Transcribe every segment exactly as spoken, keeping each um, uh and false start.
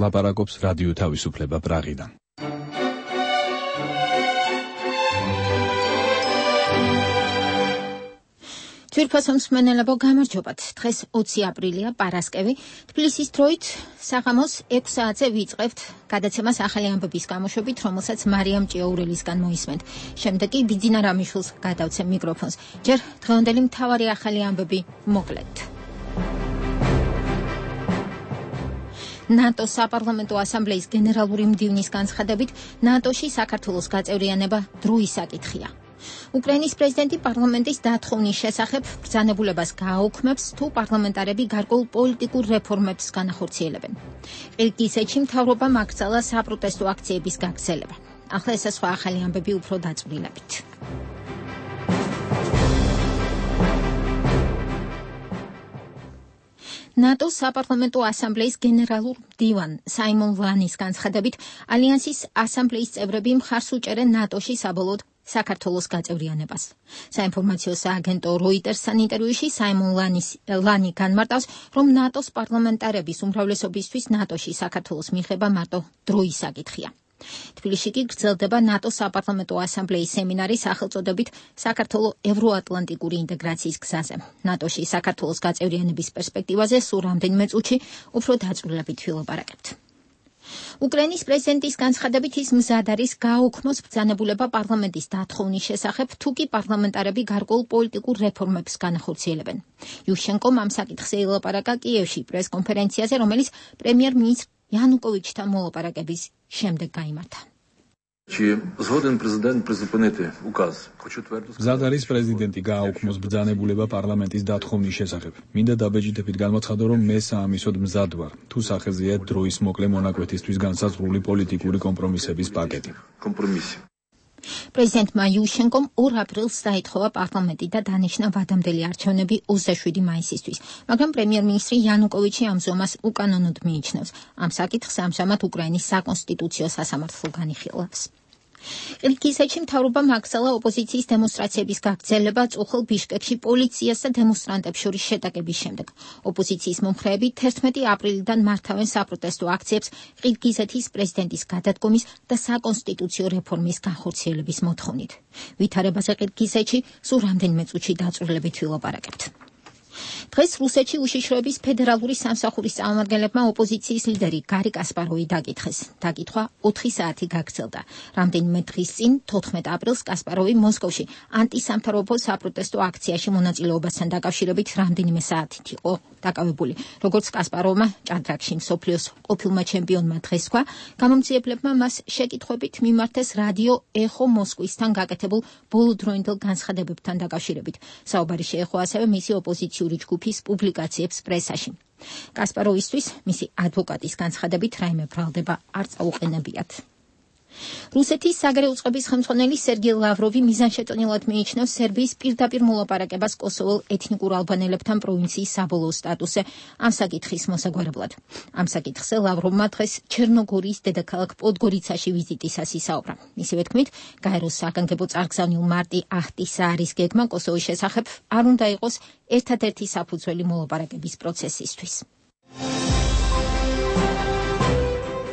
ლაპარაკობს რადიო თავისუფლება პრაღიდან. ძვირფასო მსმენელებო, გამარჯობათ. დღეს ოცი აპრილია, პარასკევი. თბილისის დროით საღამოს ექვს საათზე ვიწყებთ გადაცემას ახალი ამბების გამოშვებით, რომელსაც მარიამ ჭიაურელისგან მოისმენთ. შემდეგ კი ბიძინა რამიშვილს გადავცემ მიკროფონს. ჯერ დღევანდელი მთავარი ახალი ამბები მოკლედ. ნატოს საპარლამენტო ასამბლეის გენერალური მდივნის განცხადებით, ნატოში საქართველოს გაწევრიანება დროის საკითხია. უკრაინის პრეზიდენტი პარლამენტის დათხოვნის შესახებ ბრძანებულებას გააუქმებს, თუ პარლამენტარები გარკვეულ პოლიტიკურ რეფორმებს განახორციელებენ. ყირგიზეთში მთავრობამ აკრძალა საპროტესტო აქციების გაგრძელება. ახლა ეს სხვა ახალი ამბები უფრო დაწვრილებით. ნატოს საპარლამენტო ასამბლეის გენერალურ მდივან საიმონ ლანის განცხადებით, ალიანსის ასამბლეის წევრები მხარს უჭერენ ნატოში საბოლოოდ საქართველოს გაწევრიანებას. საინფორმაციო სააგენტო როიტერსთან ინტერვიუში საიმონ ლანი განმარტავს, რომ ნატოს პარლამენტარების უმრავლესობისთვის ნატოში საქართველოს მიღება მარტო დროის საკითხია. თბილისში კი გრძელდება ნატოს საპარლამენტო ასამბლეის სემინარი სახელწოდებით საქართველოს ევროატლანტიკური ინტეგრაციის გზაზე. ნატოში საქართველოს გაწევრიანების პერსპექტივაზე სულ რამდენიმე წუთში უფრო დაწვრილებით ვილაპარაკებთ. უკრაინის პრეზიდენტის განცხადებით ის მზად არის გააუქმოს ბრძანებულება პარლამენტის დათხოვნის შესახებ, თუ კი პარლამენტარები გარკვეულ პოლიტიკურ რეფორმებს განახორციელებენ. იუშენკომ ამ საკითხზე ილაპარაკა კიევში პრესკონფერენციაზე, რომელიც პრემიერ-მინისტრ იანუკოვიჩთან მოლაპარაკების შემდეგ გაიმართა. მზად არის პრეზიდენტი გააუქმოს ბრძანებულება პარლამენტის დათხოვნის შესახებ. მინდა დაბეჭდებით გამოცხადო, რომ მე საამისოდ მზად ვარ, თუ სახეზეა დროის მოკლე მონაკვეთისთვის განსაზღვრული პოლიტიკური კომპრომისების პაკეტი. პრეზიდენტმა იუშენკომ ორ აპრილს დაითხოვა პარლამენტი და დანიშნა ვადამდელი არჩევნები ოცდაშვიდი მაისისთვის, მაგრამ პრემიერ-მინისტრი იანუკოვიჩი ამ ზომას უკანონოდ მიიჩნევს. ამ საკითხს ამჟამად უკრაინის საკონსტიტუციო სასამართლო განიხილავს. ყირგიზეთში მთავრობამ აკრძალა ოპოზიციის დემონსტრაციების გაგრძელება წუხელ ბიშკეკში პოლიციას და დემონსტრანტებს შორის შეტაკების შემდეგ. ოპოზიციის მომხრეები თერთმეტი აპრილიდან მართავენ საპროტესტო აქციებს ყირგიზეთის პრეზიდენტის გადადგომის და საკონსტიტუციო რეფორმის განხორციელების მოთხოვნით. ვითარებაზე ყირგიზეთში სულ რამდენიმე წუთში დაწვრილებით ვილაპარაკებთ. დღეს რუსეთში უშიშროების ფედერალური სამსახურის წარმომადგენლებმა ოპოზიციის ლიდერი გარი კასპაროვი დაკითხეს. დაკითხვა ოთხი საათი გაგრძელდა. რამდენიმე დღის წინ, თოთხმეტ აპრილს, კასპაროვი მოსკოვში ანტისამთავრობო საპროტესტო აქციაში მონაწილეობასთან დაკავშირებით რამდენიმე საათით იყო დაკავებული. როგორც კასპაროვმა ჭადრაკში მსოფლიოს ყოფილმა ჩემპიონმა დღეს თქვა, გამომძიებლებმა მას შეკითხვებით მიმართეს რადიო ეხო მოსკვისთან გაკეთებულ ბოლოდროინდელ განცხადებებთან დაკავშირებით. საუბარი შეეხო ასევე მისი ოპოზიციური ჯგუფის პუბლიკაციებს პრესაში. კასპაროვისთვის მისი ადვოკატის განცხადებით რაიმე ბრალდება არ წაუყენებიათ. რუსეთის საგარეო წყობის ხელმძღვანელი სერგეი ლავროვი მიზანშეწონილად მიიჩნევს სერბიის პირდაპირ მოლაპარაკებას კოსოველ ეთნიკურ ალბანელებთან პროვინციის საბოლოო სტატუსზე ამ საკითხის მოსაგვარებლად. ამ საკითხზე ლავროვმა დღეს ჩერნოგორიის დედაქალაქ პოდგორიცაში ვიზიტისას ისაუბრა. მისივე თქმით, გაეროს საგანგებო წარგზავნილ მარტი აჰტისაარის გეგმა კოსოვოს შესახებ არ უნდა იყოს ერთადერთი საფუძველი მოლაპარაკების პროცესისთვის.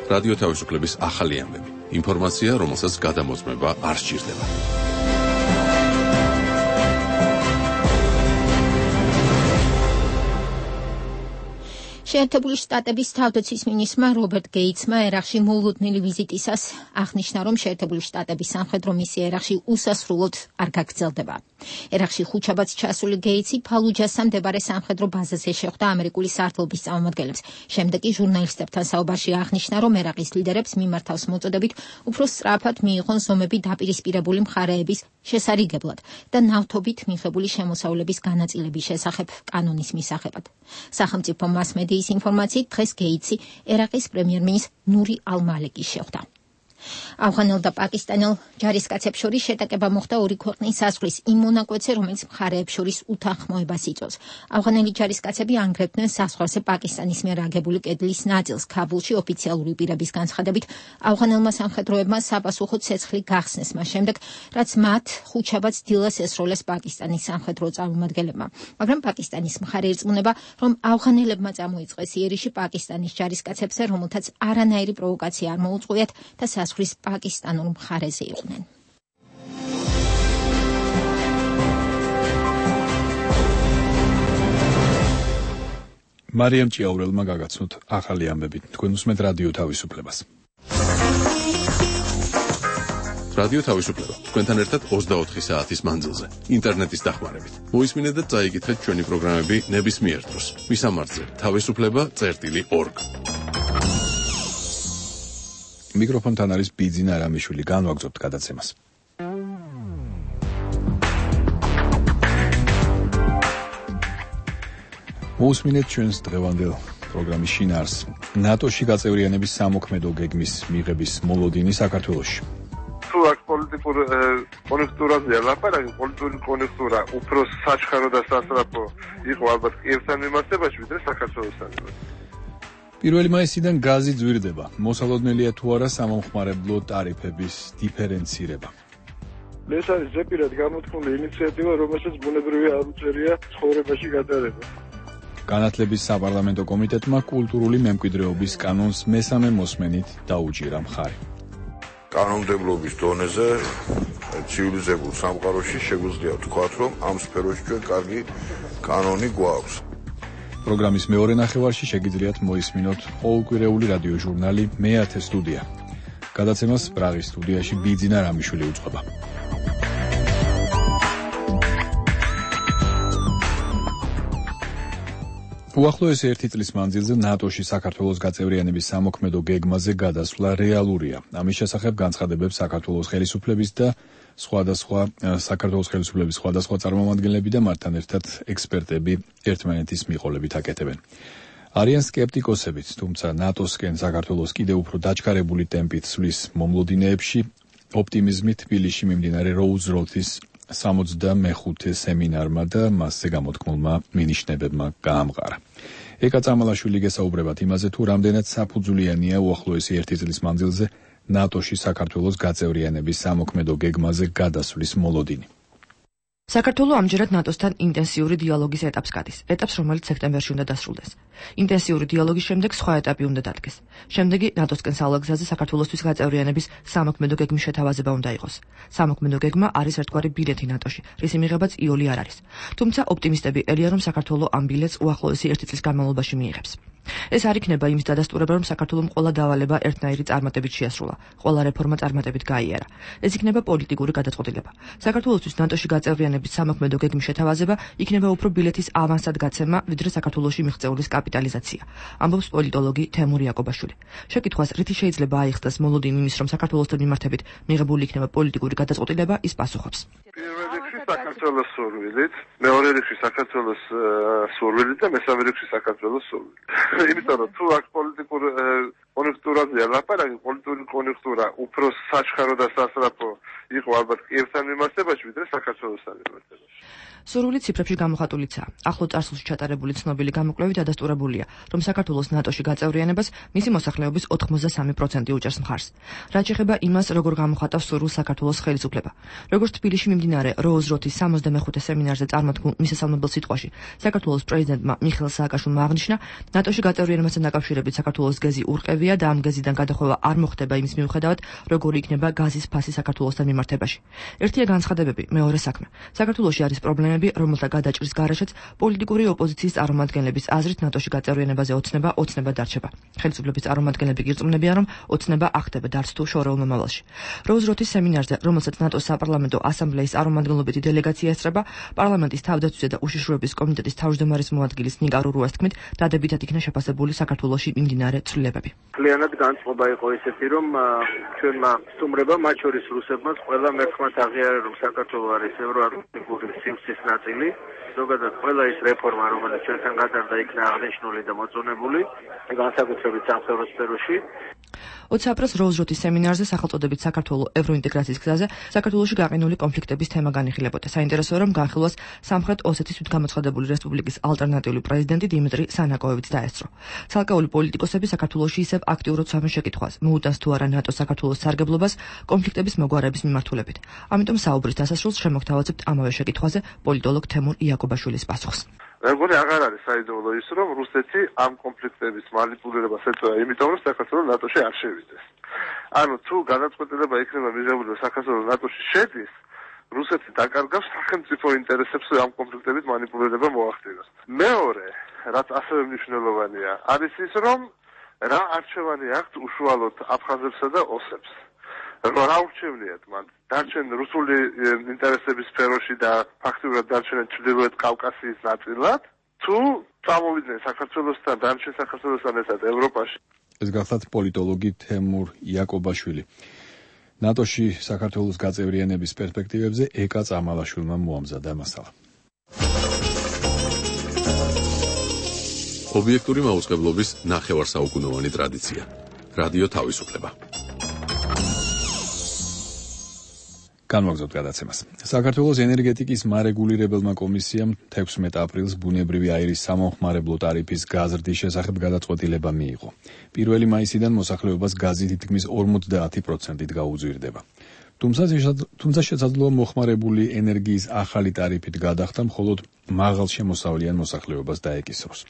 რადიო თავისუფლების ახალი ამბები. ინფორმაცია, რომელსაც გადამოწმება არ სჭირდება. შეერთებული შტატების თავდაცვის მინისტრმა რობერტ გეიცმა ერაყში მოულოდნელი ვიზიტისას აღნიშნა, რომ შეერთებული შტატების სამხედრო მისია ერაყში უსასრულოდ არ გაგრძელდება. ერაყში ხუთშაბათს ჩასული გეიცი ფალუჯასთან მდებარე სამხედრო ბაზაზე შეხვდა ამერიკული სარდლობის წარმომადგენლებს. შემდეგ კი ჟურნალისტებთან საუბარში აღნიშნა, რომ ერაყის ლიდერებს მიმართავს მოწოდებით უფრო სწრაფად მიიღონ ზომები დაპირისპირებული მხარეების შესარიგებლად და ნავთობით მიღებული შემოსავლების განაწილების შესახებ კანონის მისაღებად. სახელმწიფო მასმედიის ინფორმაციით დღეს გეიცი ერაყის პრემიერ-მინისტრ ნური ალ-მალიკის შეხვდა. ავღანელ და პაკისტანელ ჯარისკაცებს შორის შეტაკება მოხდა ორი ქვეყნის საზღვრის იმ მონაკვეთზე, რომელიც მხარეებს შორის უთანხმოებას იწვევს. ავღანელი ჯარისკაცები ანგრევდნენ საზღვარზე პაკისტანის მიერ აგებული კედლის ნაწილს. ქაბულში ოფიციალური პირების განცხადებით ავღანელმა სამხედროებმა საპასუხო ცეცხლი გახსნეს მას შემდეგ, რაც მათ ხუთშაბათს დილას ესროლეს პაკისტანის სამხედრო წარმომადგენლებმა. მაგრამ პაკისტანის მხარე ირწმუნება, რომ ავღანელებმა წამოიწყეს იერიში პაკისტანის ჯარისკაცებზე, რომელთაც არანაირი პროვოკაცია არ მოუწყვიათ და საზღვრის პაკისტანურ მხარეზე იყვნენ. მარიამ ჭიაურელმა გაგაცნოთ ახალი ამბები. თქვენ უსმენთ რადიო თავისუფლებას. რადიო თავისუფლება თქვენთან ერთად ოცდაოთხი საათის მანძილზე ინტერნეტის დახმარებით. მოისმინეთ და წაიკითხეთ ჩვენი პროგრამები ნებისმიერ დროს. მისამართზე თავისუფლება წერტილი ორგ. მიკროფონთან არის ბიძინა რამიშვილი. განვაგრძობთ გადაცემას. მოусმინეთ ჩვენს დღევანდელ პროგრამის შინაარსს. ნატოში გაწევრიანების სამოქმედო გეგმის მიღების მოლოდინი საქართველოში. თუ აქ პოლიტიკურ კონექტურაზეა ლაპარაკი, პოლიტიკური კონექტურა უფრო საჩქარო და სასწრაფო იყო ალბათ კიევთან მიმართებაში, ვიდრე საქართველოსთან. პირველი მაისიდან გაზი ძვირდება. მოსალოდნელია თუ არა სამომხმარებლო ტარიფების დიფერენცირება. ეს არის ზეპირად გამოთქმული ინიციატივა, რომელსაც ბუნებრივი არ უწევია ცხოვრებაში გატარება. განათლების საპარლამენტო კომიტეტმა კულტურული მემკვიდრეობის კანონს მესამე მოსმენით დაუჭირა მხარი. კანონმდებლობის დონეზე ცივილიზებულ სამყაროში შეგვიძლია ვთქვათ, რომ ამ სფეროში ჩვენ კარგი კანონი გვაქვს. პროგრამის მეორე ნახევარში შეგიძლიათ მოისმინოთ ყოველკვირეული რადიო ჟურნალი მეათე სტუდია. გადაცემას პრაღის სტუდიაში ბიძინა რამიშვილი უწყობა. უახლოესი ერთი წლის მანძილზე ნატოში საქართველოს გაწევრიანების სამოქმედო გეგმაზე გადასვლა რეალურია. ამის შესახებ განცხადებებს საქართველოს ხელისუფლების და სხვადასხვა საქართველოს ხელისუფლების სხვადასხვა წარმომადგენლები და მათთან ერთად ექსპერტები ერთმანეთის მიყოლებით აკეთებენ. არიან სკეპტიკოსებიც, თუმცა ნატოსკენ საქართველოს კიდევ უფრო დაჩქარებული ტემპით სვლის მომლოდინეებში ოპტიმიზმი თბილისში მიმდინარე როუზროთის სამოცდამეხუთე სემინარმა და მასზე გამოთქმულმა მინიშნებებმა გაამყარა. ეკა წამალაშვილი გესაუბრებათ იმაზე, თუ რამდენად საფუძვლიანია უახლოესი ერთი წლის მანძილზე ნატოში საქართველოს გაწევრიანების სამოქმედო გეგმაზე გადასვლის მოლოდინი. საქართველო ამჯერად ნატოსთან ინტენსიური დიალოგის ეტაპს გადის, ეტაპს, რომელიც სექტემბერში უნდა დასრულდეს. ინტენსიური დიალოგის შემდეგ სხვა ეტაპი უნდა დადგეს. შემდეგი ნატოსკენ სალაგზაზე საქართველოსთვის გაწევრიანების სამოქმედო გეგმის შეთავაზება უნდა იყოს. სამოქმედო გეგმა არის ერთგვარი ბილეთი ნატოში, რისი მიღებაც იოლი არ არის. თუმცა ოპტიმისტები ელია, რომ საქართველო ამ ბილეთს უახლოესი ერთი წლის განმავლობაში მიიღებს. ეს არ იქნება იმის დადასტურება, რომ საქართველომ ყველა დავალება ერთნაირი წარმატებით შეასრულა, ყველა რეფორმა წარმატებით გაიარა. ეს იქნება პოლიტიკური გადაწყვეტილება. საქართველოსთვის ნატოში გაწევრიანების სამოქმედო გეგმის შეთავაზება იქნება უფრო ბილეთის ავანსად გაცემა, ვიდრე საქართველოში მიღწეულის კაპიტალიზაცია. ამბობს პოლიტოლოგი თემურ იაკობაშვილი. შეკითხვას, რითი შეიძლება აიხსნას მოლოდინი იმის, რომ საქართველოსთან მიმართებით მიღებული იქნება პოლიტიკური გადაწყვეტილება, ის პასუხობს. საქართველოს სურვილით, მეორე რიგში საქართველოს სურვილით და მესამე რიგში საქართველოს სურვილით. იმიტომ რომ თუ აქ პოლიტიკურ კონექტურაზეა ლაპარაკი, პოლიტიკური კონექტურა უფრო საჩქარო და სასწრაფო იყო ალბათ კიევთან მიმართებაში, ვიდრე საქართველოსთან მიმართებაში. სურვილი ციფრებში გამოხატულიცაა. ახლო წარსულში ჩატარებული ცნობილი გამოკვლევით დადასტურებულია, რომ საქართველოს ნატოში გაწევრიანებას მისი მოსახლეობის ოთხმოცდასამი პროცენტი უჭერს მხარს. რაც ეხება იმას, როგორ გამოხატავს სურვილს საქართველოს ხელისუფლება. როგორც თბილისში მიმდინარე როუზროთის სამოცდამეხუთე სემინარზე წარმოთქმულ მისასალმებელ სიტყვაში, საქართველოს პრეზიდენტმა მიხეილ სააკაშვილმა აღნიშნა, ნატოში გაწევრიანებასთან დაკავშირებით საქართველოს გეზი ურყევია და ამ გეზიდან გადახვევა არ მოხდება იმის მიუხედავად, როგორი იქნება გაზის ფასი საქართველოსთან მიმართებაში. ერთია განცხადებები, მეორე საქმე. საქართველოში არის პრობლემა, რომელთა გადაჭრის გარეშეც პოლიტიკური ოპოზიციის წარმომადგენლების აზრით ნატოში გაწევრიანებაზე ოცნება ოცნება დარჩება. ხელისუფლების წარმომადგენლები გირწმუნებიან, რომ ოცნება ახდება დარც თუ შორეულ მომავალში. როუზროთის სემინარზე, რომელსაც ნატოს საპარლამენტო ასამბლეის წარმომადგენლობითი დელეგაცია ესწრება, პარლამენტის თავდაცვისა და უშიშროების კომიტეტის თავმჯდომარის მოადგილის ნიკა რურუას თქმით, დადებითად იქნა შეფასებული საქართველოში მიმდინარე ცვლილებები. Klienat განწყობა იყო ისეთი, რომ ჩვენმა სტუმრებმა, მათ შორის რუსებმაც, ყველა მერცხმათ აღიარა, რომ საქართველო არის ევროატლანტიკური სიმსის ნაწილი. ზოგადად ყველა ის რეფორმა, რომელიც ჩვენთან გადარდა, იქნა აღნიშნული და მოწონებული, განსაკუთრებით სამხედრო სფეროში. ოცი აპრილს როუზროთის სემინარზე სახელწოდებით საქართველოს ევროინტეგრაციის გზაზე საქართველოში გაყინული კონფლიქტების თემა განიხილებოდა. საინტერესოა, რომ განხილვას სამხრეთ ოსეთის თვითგამოცხადებული რესპუბლიკის ალტერნატიული პრეზიდენტი დიმიტრი სანაკოევიც დაესწრო. ცალკეული პოლიტიკოსები საქართველოში ისევ აქტიურად ცვამენ შეკითხვას, მოუტანს თუ არა ნატოს საქართველოს სარგებლობას კონფლიქტების მოგვარების მიმართულებით. ამიტომ საუბრის დასასრულს შემოგთავაზებთ ამავე შეკითხვაზე პოლიტოლოგ თემურ იაკობაშვილის პასუხს. მეგონი აღარ არის საიდუმლო ის, რომ რუსეთი ამ კონფლიქტების манипуლირებას ეწევა, იმიტომ რომ საქართველოს ნატოში არ შევიდეს. ანუ თუ გადაწყვეტილება იქნება მიღებული რომ საქართველოს ნატოში შედის, რუსეთი დაკარგავს სახელმწიფო ინტერესებს ამ კონფლიქტებით манипуლირება მოახდინოს. მეორე, რაც ასევე მნიშვნელოვანია, არის ის, რომ რა არჩევანი აქვს უშუალოდ აფხაზებსა და ოსებს. რა ურჩევნიათ მან? დარჩენ რუსული ინტერესების სფეროში და ფაქტობრივად დარჩენენ ჩრდილოეთ კავკასიის ნაწილად, თუ წამოვიდნენ საქართველოსთან, დარჩენ საქართველოსთან ერთად ევროპაში. ეს გახლავთ პოლიტოლოგი თემურ იაკობაშვილი. ნატოში საქართველოს გაწევრიანების პერსპექტივებზე ეკა წამალაშვილმა მოამზადა მასალა. ობიექტური მაუწყებლობის ნახევარსაუკუნოვანი ტრადიცია. რადიო თავისუფლება. განვაგრძობთ გადაცემას. საქართველოს ენერგეტიკის მარეგულირებელმა კომისიამ თექვსმეტ აპრილს ბუნებრივი აირის სამომხმარებლო ტარიფის გაზრდის შესახებ გადაწყვეტილება მიიღო. პირველი მაისიდან მოსახლეობას გაზი თითქმის ორმოცდაათი პროცენტით გაუძვირდება. თუმცა შესაძლოა მოხმარებული ენერგიის ახალი ტარიფით გადახდა მხოლოდ მაღალშემოსავლიან მოსახლეობას დაეკისროს.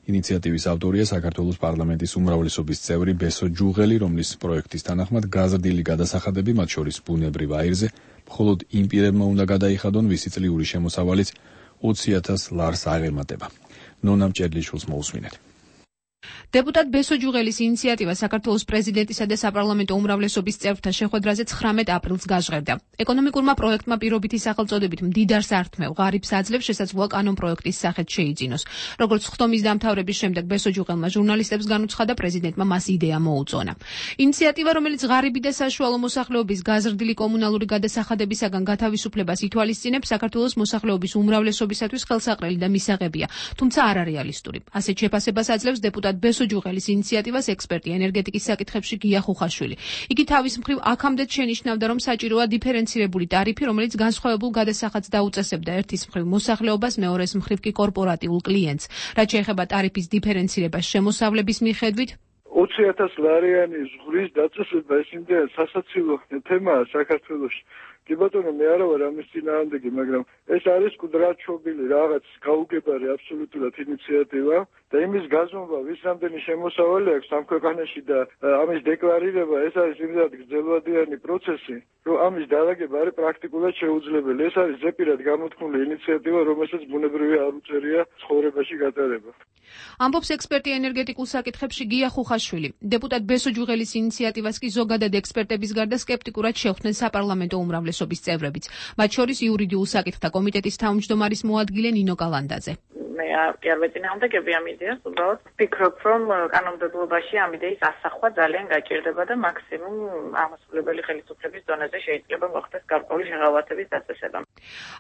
ინიციატივის ავტორია საქართველოს პარლამენტის უმრავლესობის წევრი ბესო ჯუღელი, რომლის პროექტის თანახმად გაზრდილი გადასახადები, მათ შორის ბუნებრივ აირზე, მხოლოდ იმ პირებმა უნდა გადაიხადონ, ვისი წლიური შემოსავალიც ოცი ათას ლარს აღემატება. ნონა მჭედლიშვილს მოусმინეთ. დეპუტატ ბესო ჯუღელის ინიციატივა საქართველოს პრეზიდენტისა და საპარლამენტო უმრავლესობის წევრთა შეხვედრაზე ცხრამეტ აპრილს გაჟღერდა. ეკონომიკურმა პროექტმა პირობითი სახელწოდებით მდიდარს ართმევ ღარიბს აძლევს შესაძლოა კანონ პროექტის სახით შეიძინოს. როგორც ხდომის დამთავრების შემდეგ ბესო ჯუღელმა ჟურნალისტებს განუცხადა, პრეზიდენტმა მას იდეა მოუწონა. ინიციატივა, რომელიც ღარიბი და საშუალო მოსახლეობის გაზრდილი კომუნალური გადასახადებისაგან გათავისუფლებას ითვალისწინებს, საქართველოს მოსახლეობის უმრავლესობისათვის ხელსაყრელი და მისაღებია, თუმცა არარეალისტური. ასეთ შეფასებას აძლევს დეპუტატ ბესო ჯუღელის ინიციატივას ექსპერტი ენერგეტიკის საკითხებში გია ხუხაშვილი. იგი თავის მხრივ აქამდეც შენიშნავდა, რომ საჭიროა დიფერენცირებული ტარიფი, რომელიც განსხვავებულ გადასახადს დაუწესებდა ერთის მხრივ მოსახლეობას, მეორეს მხრივ კი კორპორატიულ კლიენტს. რაც შეეხება ტარიფის დიფერენცირებას შემოსავლების მიხედვით, ოცი ათას ლარიანი ზღვრის დაწესება ეს იმდენად სასაცილო თემაა საქართველოში. კი ბატონო, მე არა ვარ ამის წინააღმდეგი, მაგრამ ეს არის კუდრაჩობილი რაღაც გაუგებარი აბსოლუტურად ინიციატივა და იმის გაზომვა, ვის რამდენი შემოსავალი აქვს ამ ქვეყანაში და ამის დეკლარირება, ეს არის იმდენად გრძელვადიანი პროცესი, რომ ამის დალაგება არის პრაქტიკულად შეუძლებელი. ეს არის ზეპირად გამოთქმული ინიციატივა, რომელსაც ბუნებრივი არ უწევია ცხოვრებაში გატარება. ამბობს ექსპერტი ენერგეტიკულ საკითხებში გია ხუხაშვილი. დეპუტატ ბესო ჯუღელის ინიციატივას კი ზოგადად ექსპერტების გარდა სკეპტიკურად შეხვდნენ საპარლამენტო უმრავლესობის წევრებიც, მათ შორის იურიდიულ საკითხთა კომიტეტის თავმჯდომარის მოადგილე ნინო კალანდაძე. მე კი არ ვეწინააღმდეგები ამ იდეას, უბრალოდ ვფიქრობ, რომ კანონმდებლობაში ამ იდეის ასახვა ძალიან გაჭირდება და მაქსიმუმ აღმასრულებელი ხელისუფლების დონეზე შეიძლება მოხდეს გარკვეული შეღავათების დაწესება.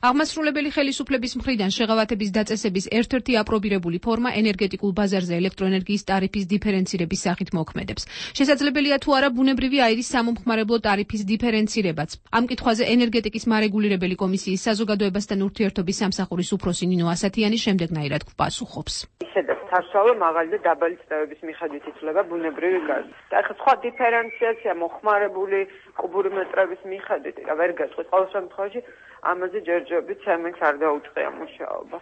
აღმასრულებელი ხელისუფლების მხრიდან შეღავათების დაწესების ერთ-ერთი აპრობირებული ფორმა ენერგეტიკულ ბაზარზე ელექტროენერგიის ტარიფის დიფერენცირების სახით მოქმედებს. შესაძლებელია თუ არა ბუნებრივი აირის სამომხმარებლო ტარიფის დიფერენცირებაც. ამ კითხვაზე ენერგეტიკის მარეგულირებელი კომისიის საზოგადოებასთან ურთიერთობის სამსახურის უფროსი ნინო ასათიანი შემდეგნაირად გვპასუხობს. ისედაც თასვავე მაღალი და დაბალი წნევების მიხედვით იცვლება ბუნებრივი გაზი. და ახლა სხვა დიფერენციაცია მოხმარებული კუბური მეტრების მიხედვით რა ვერ გაწყვეტ. ყოველ შემთხვევაში ამაზე ჯერჯერობით ცემენტს არ დაუწყია მუშაობა.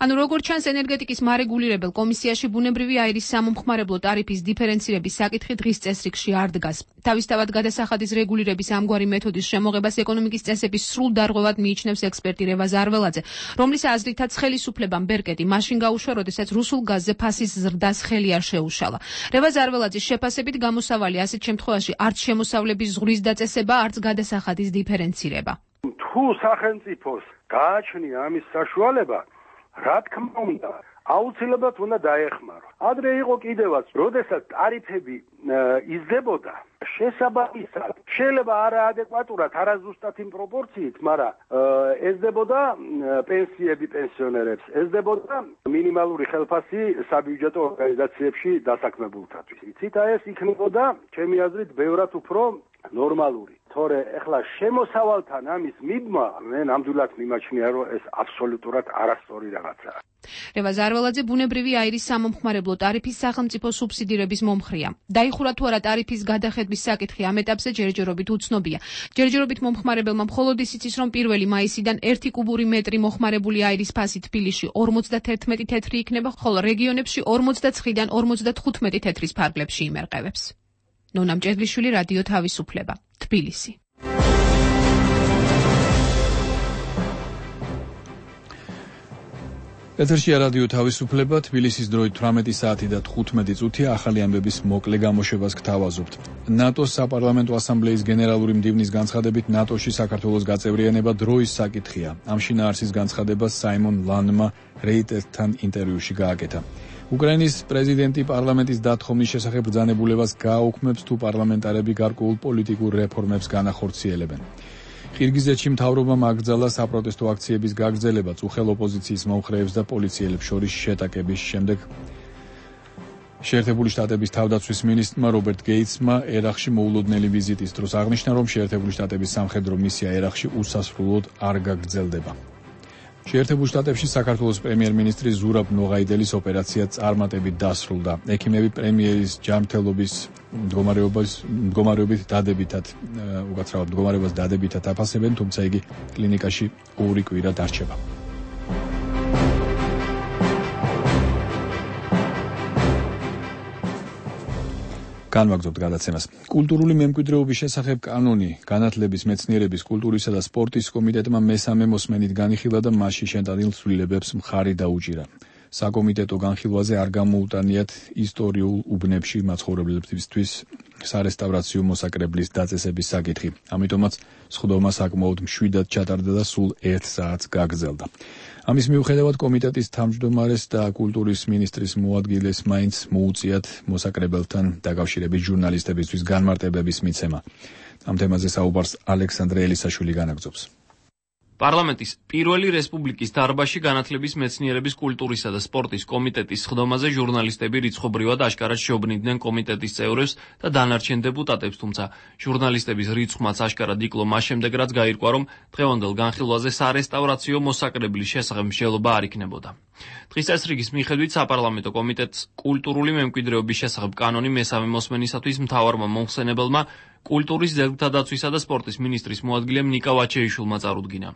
ანუ როგორც ჩანს, ენერგეტიკის მარეგულირებელ კომისიაში ბუნებრივი აირის სამომხმარებლო ტარიფის დიფერენცირების საკითხი დღის წესრიგში არ დგას. თავისთავად გადასახადის რეგულირების ამგვარი მეთოდის შემოღებას ეკონომიკის წესების სრულ დარღვევად მიიჩნევს ექსპერტი რევაზ არველაძე, რომლის აზრითაც ხელისუფლებამ ბერკეტი მაშინ გაუშვა, როდესაც რუსულ გაზზე ფასის ზრდას ხელი არ შეუშალა. რევაზ არველაძის შეფასებით გამოსავალი ასეთ შემთხვევაში არც შემოსავლების ზღვრის დაწესება, არც გადასახადის დიფერენცირება. თუ სახელმწიფოს გააჩნია ამის საშუალება, რა თქმა უნდა, აუცილებლად უნდა დაეხმარო. ადრე იყო კიდევაც, როდესაც ტარიფები იზრდებოდა, შესაბამისად, შეიძლება არაადეკვატურად, არაზუსტად იმ პროპორციით, მაგრამ ეზრდებოდა პენსიები პენსიონერებს, ეზრდებოდა მინიმალური ხელფასი საბიუჯეტო ორგანიზაციებში დასაქმებულთათვის. იცით, აი ეს იქნებოდა, ჩემი აზრით, ბევრად უფრო ნორმალური. თორე ეხლა შემოსავალთან ამის მიბმა, მე ნამდვილად მიმაჩნია, რომ ეს აბსოლუტურად არასწორი რაღაცაა. რევაზ არველაძე ბუნებრივი აირის სამომხმარებლო ტარიფის სახელმწიფო სუბსიდირების მომხრეა. დაიხურა თუ არა ტარიფის გადახედვის საკითხი ამ ეტაპზე ჯერჯერობით უცნობია. ჯერჯერობით მომხმარებელმა მხოლოდ ისიც ის, რომ პირველი მაისიდან ერთი კუბური მეტრი მოხმარებული აირის ფასი თბილისში ორმოცდაერთმეტი თეთრი იქნება, ხოლო რეგიონებში ორმოცდაცხრიდან ორმოცდათხუთმეტი თეთრის ფარგლებში იმერყევებს. ნონა მჭედლიშვილი, რადიო თავისუფლება, თბილისი. ეთერშია რადიო თავისუფლება, თბილისის დროით თვრამეტი საათი და თხუთმეტი წუთია. ახალი ამბების მოკლე გამოშვებას გთავაზობთ. ნატოს საპარლამენტო ასამბლეის გენერალური მდივნის განცხადებით, ნატოში საქართველოს გაწევრიანება დროის საკითხია. ამ შინაარსის განცხადებას საიმონ ლანმა რეიტერთან ინტერვიუში გააკეთა. უკრაინის პრეზიდენტი პარლამენტის დათხოვნის შესახებ ბრძანებულებას გააუქმებს, თუ პარლამენტარები გარკვეულ პოლიტიკურ რეფორმებს განახორციელებენ. ყირგიზეთში მთავრობამ აკრძალა საპროტესტო აქციების გაგრძელება უხელ ოპოზიციის მომხრეებს და პოლიციელებს შორის შეტაკების შემდეგ. შეერთებული შტატების თავდაცვის მინისტრმა რობერტ გეიტსმა ერაყში მოულოდნელი ვიზიტის დროს აღნიშნა, რომ შეერთებული შტატების სამხედრო მისია ერაყში უსასრულოდ არ გაგრძელდება. შეერთებულ შტატებში საქართველოს პრემიერ-მინისტრი ზურაბ ნოღაიდელის ოპერაცია წარმატებით დასრულდა. ექიმები პრემიერის ჯანმრთელობის მდგომარეობით დადებითად უკაცრავად მდგომარეობას დადებითად აფასებენ, თუმცა იგი კლინიკაში ორი კვირა დარჩება. განვაგრძობთ გადაცემას. კულტურული მემკვიდრეობის შესახებ კანონი განათლების, მეცნიერების, კულტურისა და სპორტის კომიტეტმა მესამე მოსმენით განიხილა და მასში შეტანილ ცვლილებებს მხარი დაუჭირა. საკომიტეტო განხილვაზე არ გამოუტანიათ ისტორიულ უბნებში მაცხოვრებლებისთვის სარესტავრაციო მოსაკრებლის დაწესების საკითხი. ამიტომაც სხდომა საკმაოდ მშვიდად ჩატარდა და სულ ერთ საათს გაგრძელდა. ამის მიუხედავად კომიტეტის თავმჯდომარეს და კულტურის მინისტრის მოადგილეს მაინც მოუწიათ მოსაკრებელთან დაკავშირებით ჟურნალისტებისთვის განმარტებების მიცემა. ამ თემაზე საუბარს ალექსანდრე ელისაშვილი განაგრძობს. პარლამენტის პირველი რესპუბლიკის დარბაზში განათლების, მეცნიერების, კულტურისა და სპორტის კომიტეტის სხდომაზე ჟურნალისტები რიცხობრივად აშკარად შეობნიდნენ კომიტეტის წევრებს და დანარჩენ დეპუტატებს, თუმცა ჟურნალისტების რიცხვმაც აშკარად იკლო მას შემდეგ, რაც გაირკვა, რომ დღევანდელ განხილვაზე სარესტავრაციო მოსაკრებლის შესახებ მსჯელობა არ იქნებოდა. დღის წესრიგის მიხედვით საპარლამენტო კომიტეტს კულტურული მემკვიდრეობის შესახებ კანონი მესამე მოსმენისათვის მთავარმა მომხსენებელმა კულტურის, ძეგლთა დაცვისა და სპორტის მინისტრის მოადგილემ ნიკა ვაჩეიშვილმა წარუდგინა.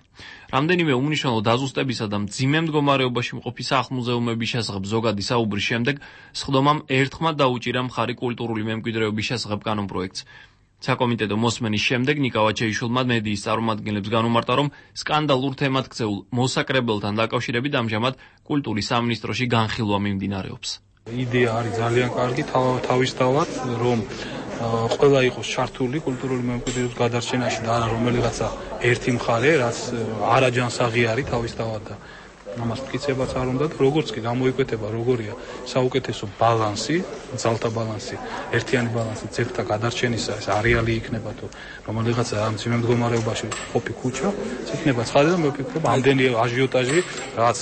რამდენიმე უმნიშვნელო დაზუსტებისა და მძიმე მდგომარეობაში მყოფი სახლ-მუზეუმების შესახებ ზოგადი საუბრის შემდეგ სხდომამ ერთხმად დაუჭირა მხარი კულტურული მემკვიდრეობის შესახებ კანონპროექტს. საკომიტეტო მოსმენის შემდეგ ნიკა ვაჩეიშვილმა მედიის წარმომადგენლებს განუმარტა, რომ სკანდალურ თემად ქცეულ მოსაკრებელთან დაკავშირებით ამჟამად კულტურის სამინისტროში განხილვა მიმდინარეობს. იდეა არის ძალიან კარგი, თავისთავად, რომ ყველა იყოს ჩართული კულტურული მემკვიდრეობის გადარჩენაში და არა რომელიღაცა ერთი მხარე, რაც არაჯანსაღი არის თავისთავად და ამას მტკიცებაც არ უნდა და როგორც კი გამოიკვეთება როგორია საუკეთესო ბალანსი, ძალთა ბალანსი, ერთიანი ბალანსი ძეგლთა გადარჩენისა, ეს არეალი იქნება თუ რომელიღაცა ამ ძიმე მდგომარეობაში ყოფი ქუჩა, იქნება ცხადი და მე ვფიქრობ ამდენი აჟიოტაჟი რაც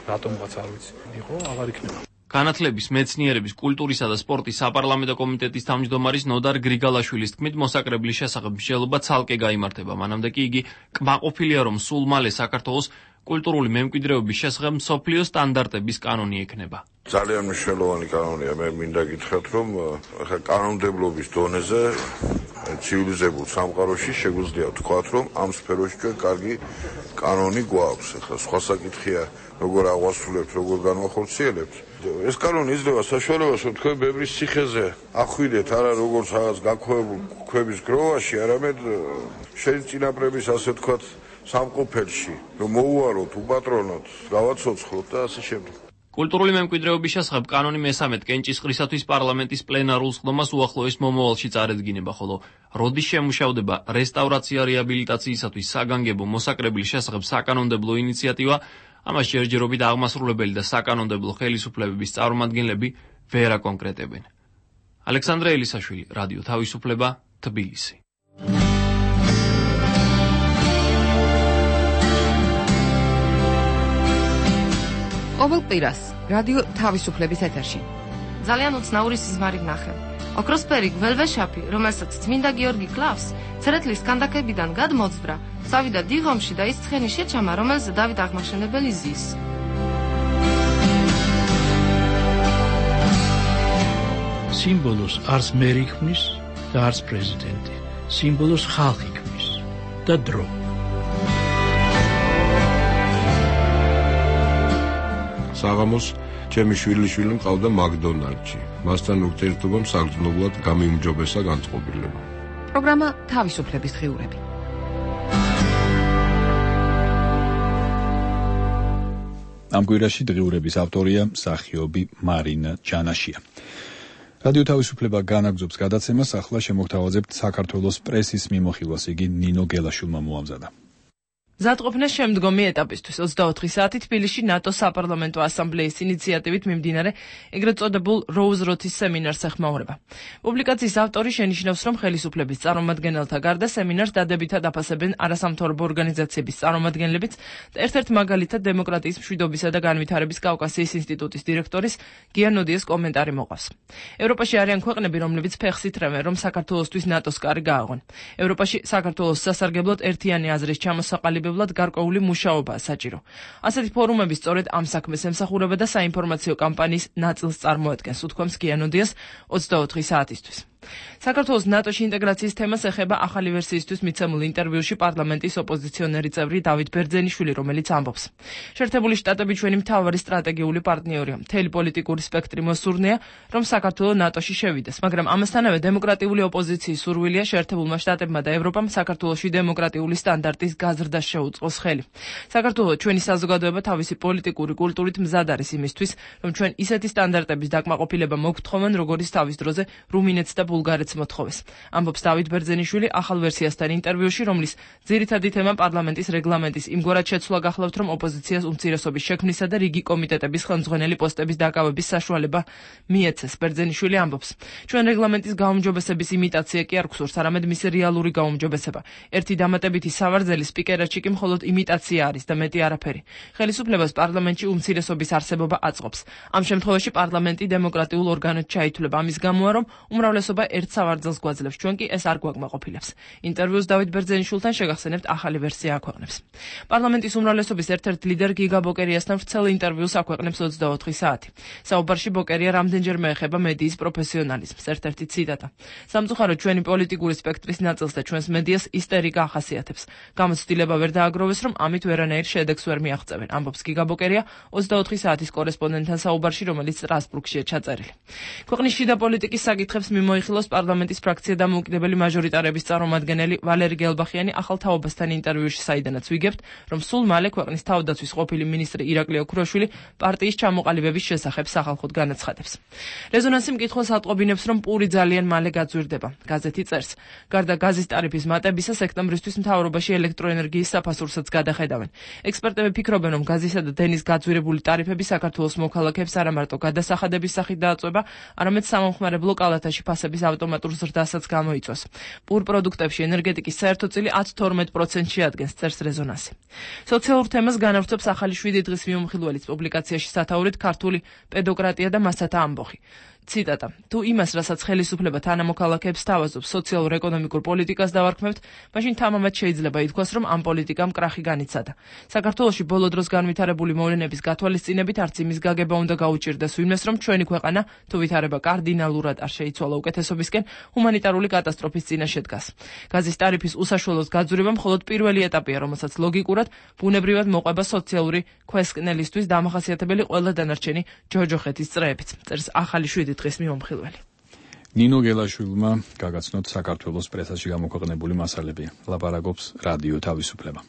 რატომღაც არ ვიცი, იყო აღარ იქნება. განათლების, მეცნიერების, კულტურისა და სპორტის საპარლამენტო კომიტეტის თავმჯდომარის ნოდარ გრიგალაშვილის თქმით, მოსაკრებლის შესახებ მსჯელობა ცალკე გაიმართება. მანამდე კი იგი კმაყოფილია, რომ სულ მალე საქართველოს კულტურული მემკვიდრეობის შესახებ მსოფლიო სტანდარტების კანონი ექნება. ძალიან მნიშვნელოვანი კანონია. მე მინდა გითხრათ, რომ ახლა კანონმდებლობის დონეზე ცივილიზებულ სამყაროში შეგვიძლია ვთქვათ, რომ ამ სფეროში ჩვენ კარგი კანონი გვაქვს. ახლა სხვა საკითხია, როგორ აღვასრულებთ, როგორ განვახორციელებთ. ეს კანონი იძლევა საშუალებას, რომ თქვენ ბევრი ციხეზე ახვიდეთ, არა როგორც რაღაც გაქვეებულ ქვების გროვაში, არამედ შენ წინაპრების ასე ვთქვათ სამყოფელში, რომ მოუაროთ, უპატრონოთ, გავაცოცხლოთ და ასე შემდეგ. კულტურული მემკვიდრეობის შესახებ კანონი მესამედ კენჭისყრისათვის პარლამენტის პლენარულ სხდომას უახლოეს მომავალში წარედგინება, ხოლო როდის შემუშავდება რესტავრაცია რეაბილიტაციისათვის საგანგებო მოსაკრებლის შესახებ საკანონმდებლო ინიციატივა, ამას ჯერჯერობით აღმასრულებელი და საკანონმდებლო ხელისუფლებების წარმომადგენლები ვერ აკონკრეტებენ. ალექსანდრე ელისაშვილი, რადიო თავისუფლება, თბილისი. ყოველ კვირას რადიო თავისუფლების ეთერში ძალიან უცნაური სიზმარი ვნახე. ოქროსფერი გველვეშაპი, რომელსაც წმინდა გიორგი კლავს, ცერეთლის კანდაკებიდან გადმოძვრა, წავიდა დიღომში და ის ცხენი შეჩამა, რომელზე დავით აღმაშენებელი ზის. სიმბოლოს არც მერი ქმნის და არც პრეზიდენტი. სიმბოლოს ხალხი ქმნის და დრო. საღამოს ჩემი შვილიშვილი მყავდა მაკდონალდში. მასთან ურთიერთობამ საგრძნობლად გამიმჯობესა განწყობილება. პროგრამა თავისუფლების დღიურები. ამ კვირაში დღიურების ავტორია მსახიობი მარინა ჯანაშია. რადიო თავისუფლება განაგრძობს გადაცემას, ახლა შემოგთავაზებთ საქართველოს პრესის მიმოხილვას, იგი ნინო გელაშვილმა მოამზადა. მზადყოფნა შემდგომი ეტაპისთვის ოცდაოთხი საათი თბილისში ნატოს საპარლამენტო ასამბლეის ინიციატივით მიმდინარე ეგრეთ წოდებულ როუზ როთის სემინარს ეხმაურება. პუბლიკაციის ავტორი შენიშნავს, რომ ხელისუფლების წარმომადგენელთა გარდა სემინარს დადებითად აფასებენ არასამთავრობო ორგანიზაციების წარმომადგენლებიც და ერთ-ერთ მაგალითად დემოკრატიის მშვიდობისა და განვითარების კავკასიის ინსტიტუტის დირექტორის გია ნოდიეს კომენტარი მოყავს. ევროპაში არიან ქვეყნები, რომლებიც ფეხს ითრევენ, რომ საქართველოსთვის ნატოს კარი გააღვენ. ევროპაში საქართველოს სასარგებლოდ ერთიანი აზრის ჩამოსაყალიბება გარკვეული მუშაობაა საჭირო. ასეთი ფორუმები სწორედ ამ საქმეს ემსახურება და საინფორმაციო კამპანიის ნაწილს წარმოადგენს, უთქვამს გია ნოდიას ოცდაოთხი საათისთვის. საქართველოს ნატოში ინტეგრაციის თემას ეხება ახალი ვერსიისთვის მიცემულ ინტერვიუში პარლამენტის ოპოზიციონერი წევრი დავით ბერძენიშვილი, რომელიც ამბობს: შეერთებული შტატები ჩვენი მთავარი სტრატეგიული პარტნიორია. მთელი პოლიტიკური სპექტრი მოსურნეა, რომ საქართველო ნატოში შევიდეს, მაგრამ ამასთანავე დემოკრატიული ოპოზიციის სურვილია შეერთებულმა შტატებმა და ევროპამ საქართველოში დემოკრატიული სტანდარტის გაზრდას შეუწყოს ხელი. საქართველო ჩვენი საზოგადოება თავისი პოლიტიკური კულტურით მზად არის იმისთვის, რომ ჩვენ ისეთი სტანდარტების დაკმაყოფილება მოგთხოვენ, როგორიც თავის დროზე რუმინეთს და ბულგარეთს მოთხოვეს. ამბობს დავით ბერძენიშვილი ახალ ვერსიასთან ინტერვიუში, რომლის ძირითადი თემა პარლამენტის რეგლამენტის იმგვარად შეცვლა გახლავთ, რომ ოპოზიციას უმცირესობის შექმნისა და რიგი კომიტეტების ხელმძღვანელი პოსტების დაკავების საშუალება მიეცეს. ბერძენიშვილი ამბობს: ჩვენ რეგლამენტის გაუმჯობესების იმიტაცია კი არ გვსურს, არამედ მისი რეალური გაუმჯობესება. ერთი დამატებითი სავარძელი სპიკერეთში კი მხოლოდ იმიტაცია არის და მეტი არაფერი. ხელისუფლებას პარლამენტში უმცირესობის არსებობა აწყობს. ამ შემთხვევაში პარლამენტი დემოკრატიულ ორგანოდ ჩაითვლება. ამის გამოა, რომ უმრავლესობა ერთ სავარძელს გვაძლევს, ჩვენ კი ეს არ გვაკმაყოფილებს. ინტერვიუს დავით ბერძენიშვილთან შეგახსენებთ ახალი ვერსია აქვეყნებს. პარლამენტის უმრავლესობის ერთ-ერთ ლიდერ გიგა ბოკერიასთან ვრცელ ინტერვიუს აქვეყნებს ოცდაოთხი საათი. საუბარში ბოკერია რამდენჯერმე ეხება მედიის პროფესიონალიზმს. ერთ-ერთი ციტატა: სამწუხაროდ ჩვენი პოლიტიკური სპექტრის ნაწილს და ჩვენს მედიას ისტერიკა ახასიათებს. გამოცდილება ვერ დააგროვეს, რომ ამით ვერანაირ შედეგს ვერ მიაღწევენ, ამბობს გიგა ბოკერია ოცდაოთხი საათის კორესპონდენტთან საუბარში, რომელიც სტრასბურგშია ჩაწერილი. ქვეყნის შიდა პოლიტიკის საკითხებს მიმოიხილოს პარლამენტის ფრაქცია და მოუკიდებელი მაჟორიტარების წარმომადგენელი ვალერი გელბახიანი ახალ თაობასთან ინტერვიუში, საიდანაც ვიგებთ, რომ სულ მალე ქვეყნის თავდაცვის ყოფილი მინისტრი ირაკლი ოქროშვილი პარტიის ჩამოყალიბების შესახებ სახალხოდ განაცხადებს. რეზონანსი მკითხველს ატყობინებს, რომ პური ძალიან მალე გაძვირდება. გაზეთი წერს: გარდა გაზის ტარიფის მატებისა, სექტემბრისთვის მთავრობაში ელექტროენერგიის საფასურსაც გადახედავენ. ექსპერტები ფიქრობენ, რომ გაზისა და დენის გაძვირებული ტარიფები საქართველოს მოქალაქეებს არა მარტო გადასახადების სახით დააწვება, არამედ სამომხმარებლო კალათაში ფასების ავტომატურ ზრდასაც გამოიწვევს. პურ პროდუქტებში ენერგეტიკის საერთო წილი ათს თორმეტ პროცენტს შეადგენს, წერს რეზონანსი. სოციალურ თემას განავრცობს ახალი შვიდი დღის მიმოხილველის პუბლიკაციაში სათაურით ქართული პედოკრატია და მასათა ამბოხი. ციტატა: თუ იმას, რასაც ხელისუფლება თანამოქალაქეებს თავაზობს, სოციალურ-ეკონომიკურ პოლიტიკას დავარქმევთ, მაშინ თამამად შეიძლება ითქვას, რომ ამ პოლიტიკამ კრახი განიცადა. საქართველოში ბოლო დროს განვითარებული მოვლენების გათვალისწინებით არც იმის გაგება უნდა გაუჭირდეს ვინმეს, რომ ჩვენი ქვეყანა თუ ვითარება კარდინალურად არ შეიცვალა უკეთესობისკენ, ჰუმანიტარული კატასტროფის წინაშე დგას. გაზის ტარიფის უსაშუალოდ გაძვირება მხოლოდ პირველი ეტაპია, რომელსაც ლოგიკურად, ბუნებრივად მოყვება სოციალური ქვესკნელისთვის დამახასიათებელი ყველა დანარჩენი ჯოჯოხეთის წრეებიც, წერს ახალი შვიდი დღის მიმოხილველი. ნინო გელაშვილმა გაგაცნოთ საქართველოს პრესაში გამოქვეყნებული მასალები. ლაპარაკობს რადიო თავისუფლება.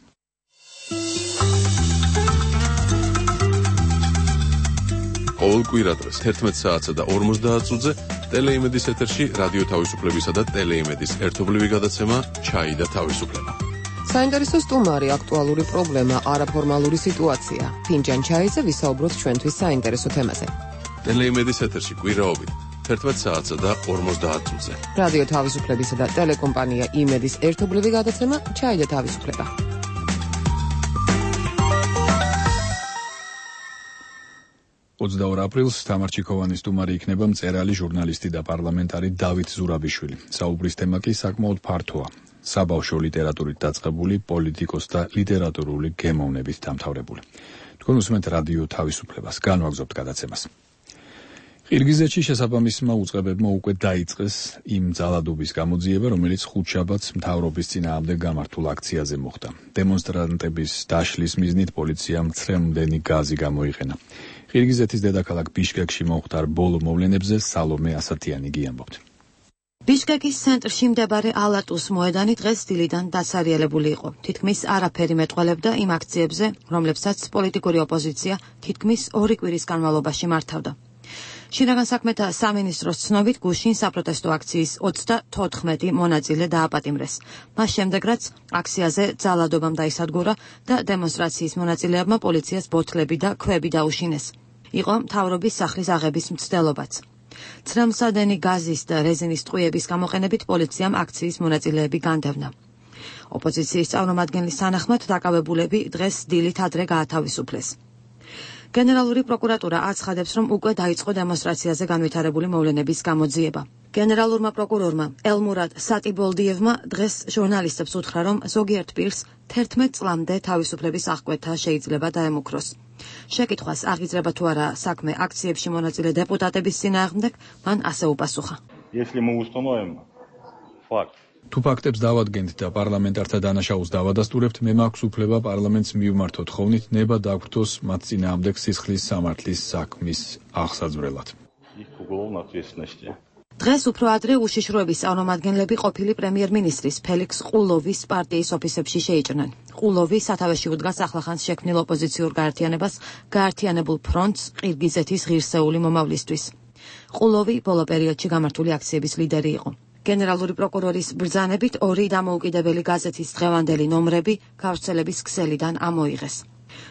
ყოველ კვირადღეს თერთმეტ საათსა და ორმოცდაათ წუთზე ტელეიმედის ეთერში რადიო თავისუფლებისა და ტელეიმედის ერთობლივი გადაცემა ჩაი და თავისუფლება. საინტერესო სტუმარი, აქტუალური პრობლემა, არაფორმალური სიტუაცია. ფინჯან ჩაიზე ვისაუბროთ ჩვენთვის საინტერესო თემაზე. ტელეიმედის ეთერში კვირაობით თერთმეტ საათსა და ორმოცდაათ წუთზე. რადიო თავისუფლებისა და ტელეკომპანია იმედის ერთობლივი გადაცემა ჩაი და თავისუფლება. ოცდაორ აპრილს თამარ ჩიქოვანის სტუმარი იქნება მწერალი, ჟურნალისტი და პარლამენტარი დავით ზურაბიშვილი. საუბრის თემა კი საკმაოდ ფართოა. საბავშვო ლიტერატურით დაწყებული, პოლიტიკოს და ლიტერატურული გემოვნებით დამთავრებული. თქვენ უსმენთ რადიო თავისუფლებას, განვაგრძობთ გადაცემას. ყირგიზეთში შესაბამისმა უწყებებმა უკვე დაიწყეს იმ ძალადობის გამოძიება, რომელიც ხუთშაბათს მთავრობის წინააღმდეგ გამართულ აქციაზე მოხდა. დემონსტრანტების დაშლის მიზნით პოლიციამ მცრემლდენი გაზი გამოიყენა. ყირგიზეთის დედაქალაქ ბიშკეკში მომხდარ ბოლო მოვლენებზე სალომე ასათიანი გიამბობთ. ბიშკეკის ცენტრში მდებარე ალატუს მოედანი დღეს დილიდან დასარიელებული იყო. თითქმის არაფერი მეტყველებდა იმ აქციებზე, რომლებსაც პოლიტიკური ოპოზიცია თითქმის ორი კვირის განმავლობაში მართავდა. შინაგან საქმეთა სამინისტროს ცნობით გუშინ საპროტესტო აქციის ოცდათოთხმეტი მონაწილე დააპატიმრეს. მას შემდეგ რაც აქციაზე ძალადობამ დაისადგურა და დემონსტრაციის მონაწილეებმა პოლიციას ბოთლები და ქვები დაუშინეს. იყო მთავრობის სახლის აღების მცდელობაც. ცრემლსადენი გაზის და რეზინის ტყვიების გამოყენებით პოლიციამ აქციის მონაწილეები განდევნა. ოპოზიციის წარმომადგენლის თანახმად დაკავებულები დღეს დილით ადრე გაათავისუფლეს. გენერალური პროკურატურა აცხადებს, რომ უკვე დაიწყო დემონსტრაციაზე განვითარებული მოვლენების გამოძიება. გენერალურმა პროკურორმა ელმურად სატიბოლდიევმა დღეს ჟურნალისტებს უთხრა, რომ ზოგიერთ პირს თერთმეტ წლამდე თავისუფლების აღკვეთა შეიძლება დაემუქროს. შეკითხვას აღიძრება თუ არა საქმე აქციებში მონაწილე დეპუტატების წინააღმდეგ, მან ასე უპასუხა. თუ ფაქტებს დავადგენთ და პარლამენტართა დანაშაულს დავადასტურებთ, მე მაქვს უფლება პარლამენტს მივმართოთ ხოვნით ნება დაგვრთოს მათ წინააღმდეგ სისხლის სამართლის საქმის აღსაძვრელად. დღეს უფრო ადრე უშიშროების წარმომადგენლები ყოფილი პრემიერ-მინისტრის ფელიქს ყულოვის პარტიის ოფისებში შეიჭრნენ. ყულოვი სათავეში უდგას ახლახანს შექმნილ ოპოზიციურ გაერთიანებას გაერთიანებულ ფრონტს ყირგიზეთის ღირსეული მომავლისთვის. ყულოვი ბოლო პერიოდში გამართული აქციების ლიდერი იყო. გენერალური პროკურორის ბრძანებით ორი დამოუკიდებელი გაზეთის დღევანდელი ნომრები გავრცელების ქსელიდან ამოიღეს.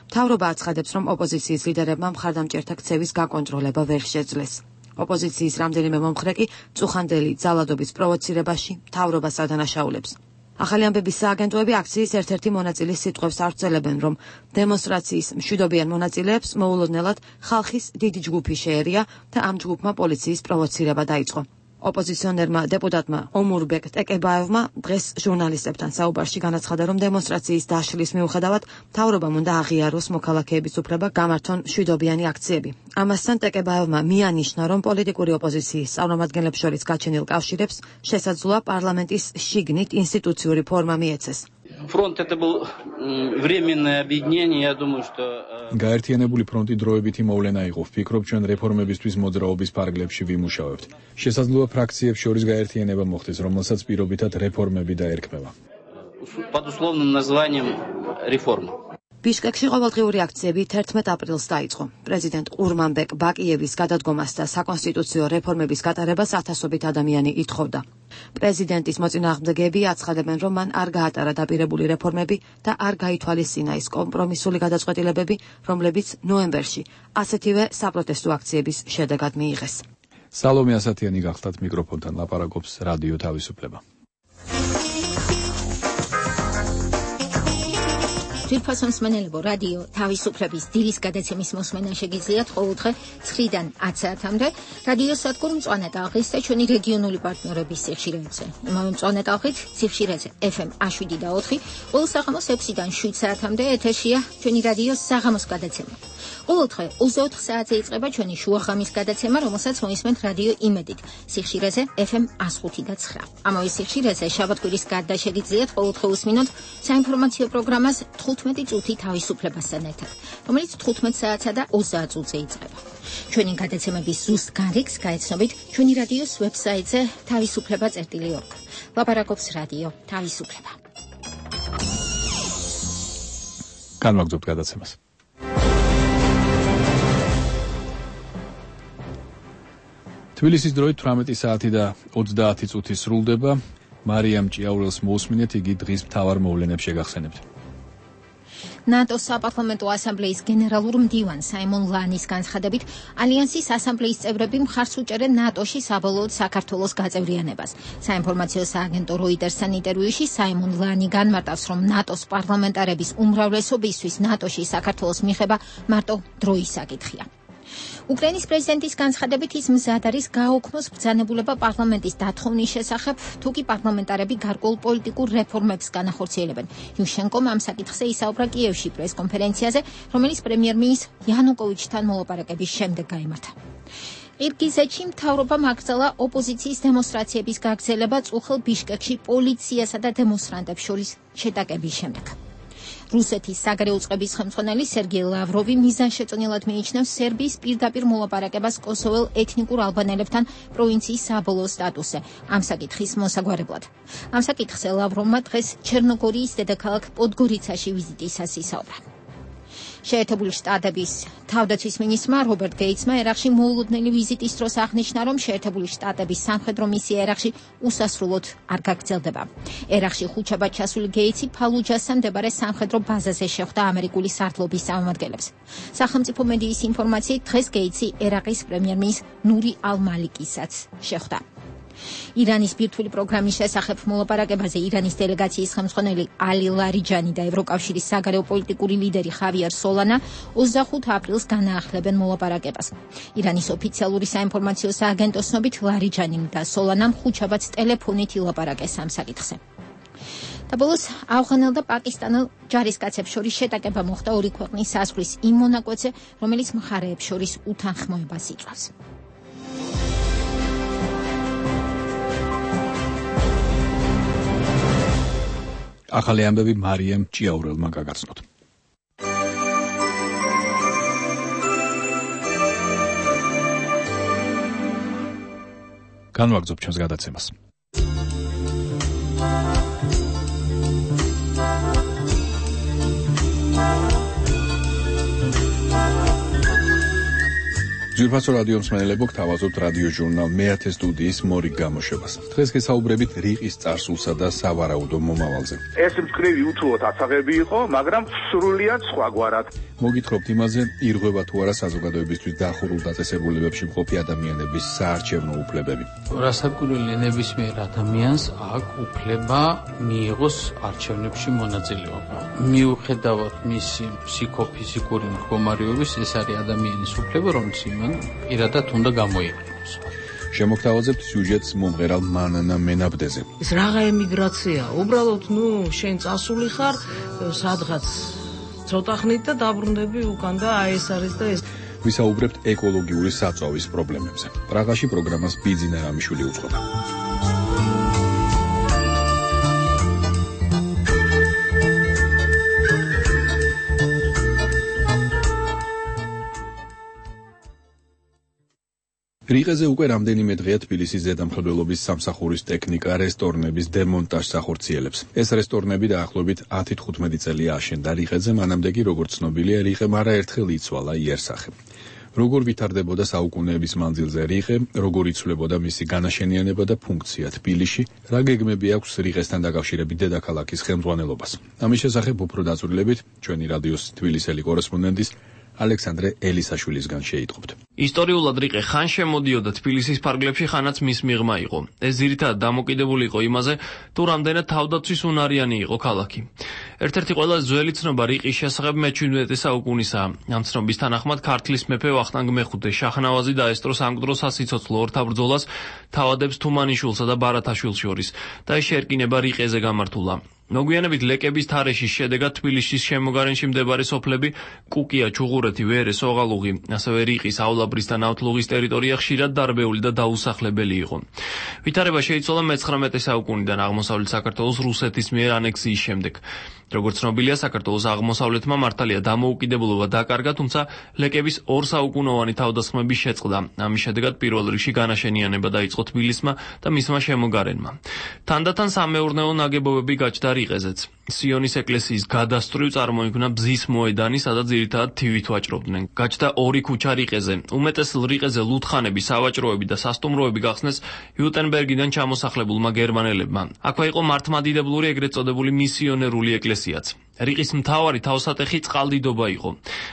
მთავრობა აცხადებს, რომ ოპოზიციის ლიდერებმა მხარდამჭერთა ქცევის გაკონტროლება ვერ შეძლეს. ოპოზიციის რამდენიმე მომხრე კი წუხანდელი ძალადობის პროვოცირებაში მთავრობას ადანაშაულებს. ახალი ამბების სააგენტოები აქციის ერთ-ერთი მონაწილის სიტყვებს აღწერენ, რომ დემონსტრაციის მშვიდობიან მონაწილეებს მოულოდნელად ხალხის დიდი ჯგუფი შეერია და ამ ჯგუფმა პოლიციის პროვოცირება დაიწყო. ოპოზიციონერმა დეპუტატმა ომურბეკ ტეკებაევმა დღეს ჟურნალისტებთან საუბარში განაცხადა, რომ დემონსტრაციის დაშლის მიუხედავად მთავრობამ უნდა აღიაროს მოქალაქეების უფლება გამართონ მშვიდობიანი აქციები. ამასთან ტეკებაევმა მიანიშნა, რომ პოლიტიკური ოპოზიციის წარმომადგენლებს შორის გაჩენილ კავშირებს შესაძლოა პარლამენტის შიგნით ინსტიტუციური ფორმა მიეცეს. Фронт это был временное объединение, я думаю, что გაერთიანებული ფრონტი დროებითი მოვლენა იყო. ვფიქრობ, ჩვენ რეფორმებისთვის მოძრაობის ფარგლებში ვიმუშავებთ. შესაძლოა ფრაქციებს შორის გაერთიანება მოხდეს, რომელსაც პირობითად რეფორმები დაერქმევა. Под условным названием реформа. ბიშკეკში ყოველდღიური აქციები თერთმეტ აპრილს დაიწყო. პრეზიდენტ ყურმანბეკ ბაკიევის გადადგომას და საკონსტიტუციო რეფორმების გატარებას ათასობით ადამიანი ითხოვდა. პრეზიდენტის მოწინააღმდეგეები აცხადებენ, რომ მან არ გაატარა დაპირებული რეფორმები და არ გაითვალისწინა ის კომპრომისული გადაწყვეტილებები, რომლებიც ნოემბერში ასეთივე საპროტესტო აქციების შედეგად მიიღეს. სალომე ასათიანი გახლდათ მიკროფონთან ლაპარაკობს რადიო თავისუფლება. ძვირფასო მსმენელებო, რადიო თავისუფლების დილის გადაცემის მოსმენა შეგიძლიათ ყოველდღე ცხრიდან ათ საათამდე რადიო სადგურ მწვანე ტალღის და ჩვენი რეგიონული პარტნიორების სიხშირეებზე. იმავე მწვანე ტალღით სიხშირეზე ეფ ემ შვიდი და ოთხი, ყოველ საღამოს ექვსიდან შვიდ საათამდე ეთერშია ჩვენი რადიოს საღამოს გადაცემა. ყოველდღე ოცდაოთხ საათზე იწყება ჩვენი შუახამის გადაცემა, რომელსაც მოისმენთ რადიო იმედით სიხშირეზე ეფ ემ ხუთი და ცხრა. ამავე სიხშირეზე შაბათ-კვირის გარდა შეგიძლიათ ყოველდღე უსმინოთ საინფორმაციო პროგრამას თხუთმეტი წუთი თავისუფლებასთან ერთად, რომელიც თხუთმეტ საათსა და ოცდაათ წუთზე იწყება. ჩვენი გადაცემების ზუსტ განრიგს გაეცნობით ჩვენი რადიოს ვებსაიტზე თავისუფლება წერტილი ორგ. ლაპარაკობს რადიო თავისუფლება. განვაგრძობთ გადაცემას. თბილისის დროით თვრამეტი საათი და ოცდაათი წუთი სრულდება. მარიამ ჭიაურელს მოусმინეთ, იგი დღის მთავარ მოვლენებს შეგახსენებთ. ნატოს საპარლამენტო ასამბლეის გენერალურ მდივან საიმონ ლანის განცხადებით, ალიანსის ასამბლეის წევრები მხარს უჭერენ ნატოში საბოლოოდ საქართველოს გაწევრიანებას. საინფორმაციო სააგენტო როიტერსთან ინტერვიუში საიმონ ლანი განმარტავს, რომ ნატოს პარლამენტარების უმრავლესობისთვის ნატოში საქართველოს მიღება მარტო დროის საკითხია. უკრაინის პრეზიდენტის განცხადებით ის მზად არის გააუქმოს ბრძანებულება პარლამენტის დათხოვნის შესახებ, თუ კი პარლამენტარები გარკვეულ პოლიტიკურ რეფორმებს განახორციელებენ. იუშენკომ ამ საკითხზე ისაუბრა კიევში პრესკონფერენციაზე, რომელიც პრემიერ-მინისტრ იანუკოვიჩთან მოლაპარაკების შემდეგ გაიმართა. ყირგიზეთში მთავრობამ აკრძალა ოპოზიციის დემონსტრაციების გაგრძელება წუხელ ბიშკეკში პოლიციასა და დემონსტრანტებს შორის შეტაკების შემდეგ. რუსეთის საგარეო წყების ხელმძღვანელი სერგეი ლავროვი მიზანშეწონილად მიიჩნევს სერბიის პირდაპირ მოლაპარაკებას კოსოველ ეთნიკურ ალბანელებთან პროვინციის საბოლოო სტატუსზე, ამ საკითხის მოსაგვარებლად. ამ საკითხზე ლავროვმა დღეს ჩერნოგორიის დედაქალაქ პოდგორიცაში ვიზიტისას ისაუბრა. შეერთებული შტატების თავდაცვის მინისტრმა რობერტ გეიცმა ერაყში მოულოდნელი ვიზიტის დროს აღნიშნა, რომ შეერთებული შტატების სამხედრო მისია ერაყში უსასრულოდ არ გაგრძელდება. ერაყში ხუთშაბათ ჩასული გეიცი ფალუჯასთან მდებარე სამხედრო ბაზაზე შეხვდა ამერიკული სარდლობის წარმომადგენლებს. სახელმწიფო მედიის ინფორმაციით, დღეს გეიცი ერაყის პრემიერ-მინისტრ ნური ალ-მალიკისაც შეხვდა. ირანის ბირთვული პროგრამის შესახებ მოლაპარაკებაზე ირანის დელეგაციის ხელმძღვანელი ალი ლარიჯანი და ევროკავშირის საგარეო პოლიტიკური ლიდერი ხავიერ სოლანა ოცდახუთ აპრილს განაახლებენ მოლაპარაკებას. ირანის ოფიციალური საინფორმაციო სააგენტოს ცნობით ლარიჯანიმ და სოლანამ ხუთშაბათს ტელეფონით ილაპარაკეს ამ საკითხზე. და ბოლოს ავღანელ და პაკისტანელ ჯარისკაცებს შორის შეტაკება მოხდა ორი ქვეყნის საზღვრის იმ მონაკვეთზე, რომელიც მხარეებს შორის უთანხმოებას იწვევს. ახალი ამბები მარიამ ჭიაურელმა გაგაცნოთ. განვაგრძობ ჩვენს გადაცემას. ძვირფასო რადიო მსმენელებო, გთავაზობთ რადიო ჟურნალ მეათე სტუდიის მორიგ გამოშვებას. დღეს გესაუბრებით რიყის წარსულსა და სავარაუდო მომავალზე. ეს მწკრივი უთუოდ აცაღები იყო, მაგრამ სრულიად სხვაგვარად. მოგითხრობთ იმაზე, ირღვევა თუ არა საზოგადოებისთვის დახურულ დაწესებულებებში მყოფი ადამიანების საარჩევნო უფლებები. რასაკვირველია, ნებისმიერ ადამიანს აქვს უფლება მიიღოს არჩევნებში მონაწილეობა. მიუხედავად მისი ფსიქოფიზიკური მდგომარეობის, ეს არის ადამიანის უფლება, რომელიც პირადად უნდა გამოიყენოს. შემოგთავაზებთ სიუჟეტს მომღერალ მანანა მენაბდეზე. ეს რაღა ემიგრაცია, უბრალოდ ნუ შენ წასული ხარ სადღაც ცოტა ხნით და დაბრუნდები უკან და აი ეს არის და ეს. ვისაუბრებთ ეკოლოგიური საწვავის პრობლემებზე. პრაღაში პროგრამას ბიძინა რამიშვილი უწყობდა. რიყეზე უკვე რამდენიმე დღეა თბილისის ზედამხედველობის სამსახურის ტექნიკა რესტორნების დემონტაჟს ახორციელებს. ეს რესტორნები დაახლოებით ათი თხუთმეტი წელია აშენდა რიყეზე, მანამდე კი როგორც ცნობილია, რიყემ არაერთხელ იცვალა იერსახე. როგორ ვითარდებოდა საუკუნეების მანძილზე რიყე, როგორ იცვლებოდა მისი განაშენიანება და ფუნქცია თბილისში, რა გეგმები აქვს რიყესთან დაკავშირებით დედაქალაქის ხელმძღვანელობას. ამის შესახებ უფრო დაწვრილებით ჩვენი რადიოს თბილისელი კორესპონდენტის ალექსანდრე ელისაშვილისგან შეიტყობთ. ისტორიულად რიყე ხან შემოდიოდა თბილისის ფარგლებში, ხანაც მის მიღმა იყო. ეს ძირითადად დამოკიდებული იყო იმაზე, თუ რამდენად თავდაცვის უნარიანი იყო ქალაქი. ერთ-ერთი ყველაზე ძველი ცნობა რიყის შესახებ მეჩვიდმეტე საუკუნისაა. ამ ცნობის თანახმად ქართლის მეფე ვახტანგ მეხუთე შაჰნავაზი დაესწრო სამკვდრო სასიცოცხლო ორთაბრძოლას თავადებს თუმანიშვილსა და ბარათაშვილს შორის და ეს შეერკინება რიყეზე გამართულა. მოგვიანებით ლეკების თარეშის შედეგად თბილისის შემოგარენში მდებარე სოფლები კუკია, ჩუღურეთი, ვერე, სოღალუღი, ასევე რიყის,ავლაბრის და ნავთლუღის ტერიტორია ხშირად დარბეული და დაუსახლებელი იყო. ვითარება შეიცვალა მეცხრამეტე საუკუნიდან აღმოსავლეთ საქართველოს რუსეთის მიერ ანექსიის შემდეგ. როგორც ცნობილია, საქართველოს აღმოსავლეთმა მართალია დამოუკიდებლობა დაკარგა, თუმცა ლეკების ორ საუკუნოვანი თავდასხმების შეწყდა. ამის შედეგად პირველ რიგში განაშენიანება დაიწყო თბილისმა და მისმა შემოგარენმა. თანდათან სამეურნეო ნაგებობები გაჩნდა რიყეზეც. სიონის ეკლესიის გადასწრევ წარმოიქმნა ბზის მოედანი, სადაც ძირითადად თივით ვაჭრობდნენ. გაჩნდა ორი ქუჩა რიყეზე. უმეტეს რიყეზე ლუდხანები, სავაჭროები და სასტუმროები გახსნეს ვიუტენბერგიდან ჩამოსახლებულმა გერმანელებმა. აქვე იყო მართლმადიდებლური ეგრეთ წოდებული მისიონერული ეკლესიაც. რიყის მთავარი თავსატეხი წყალდიდობა იყო.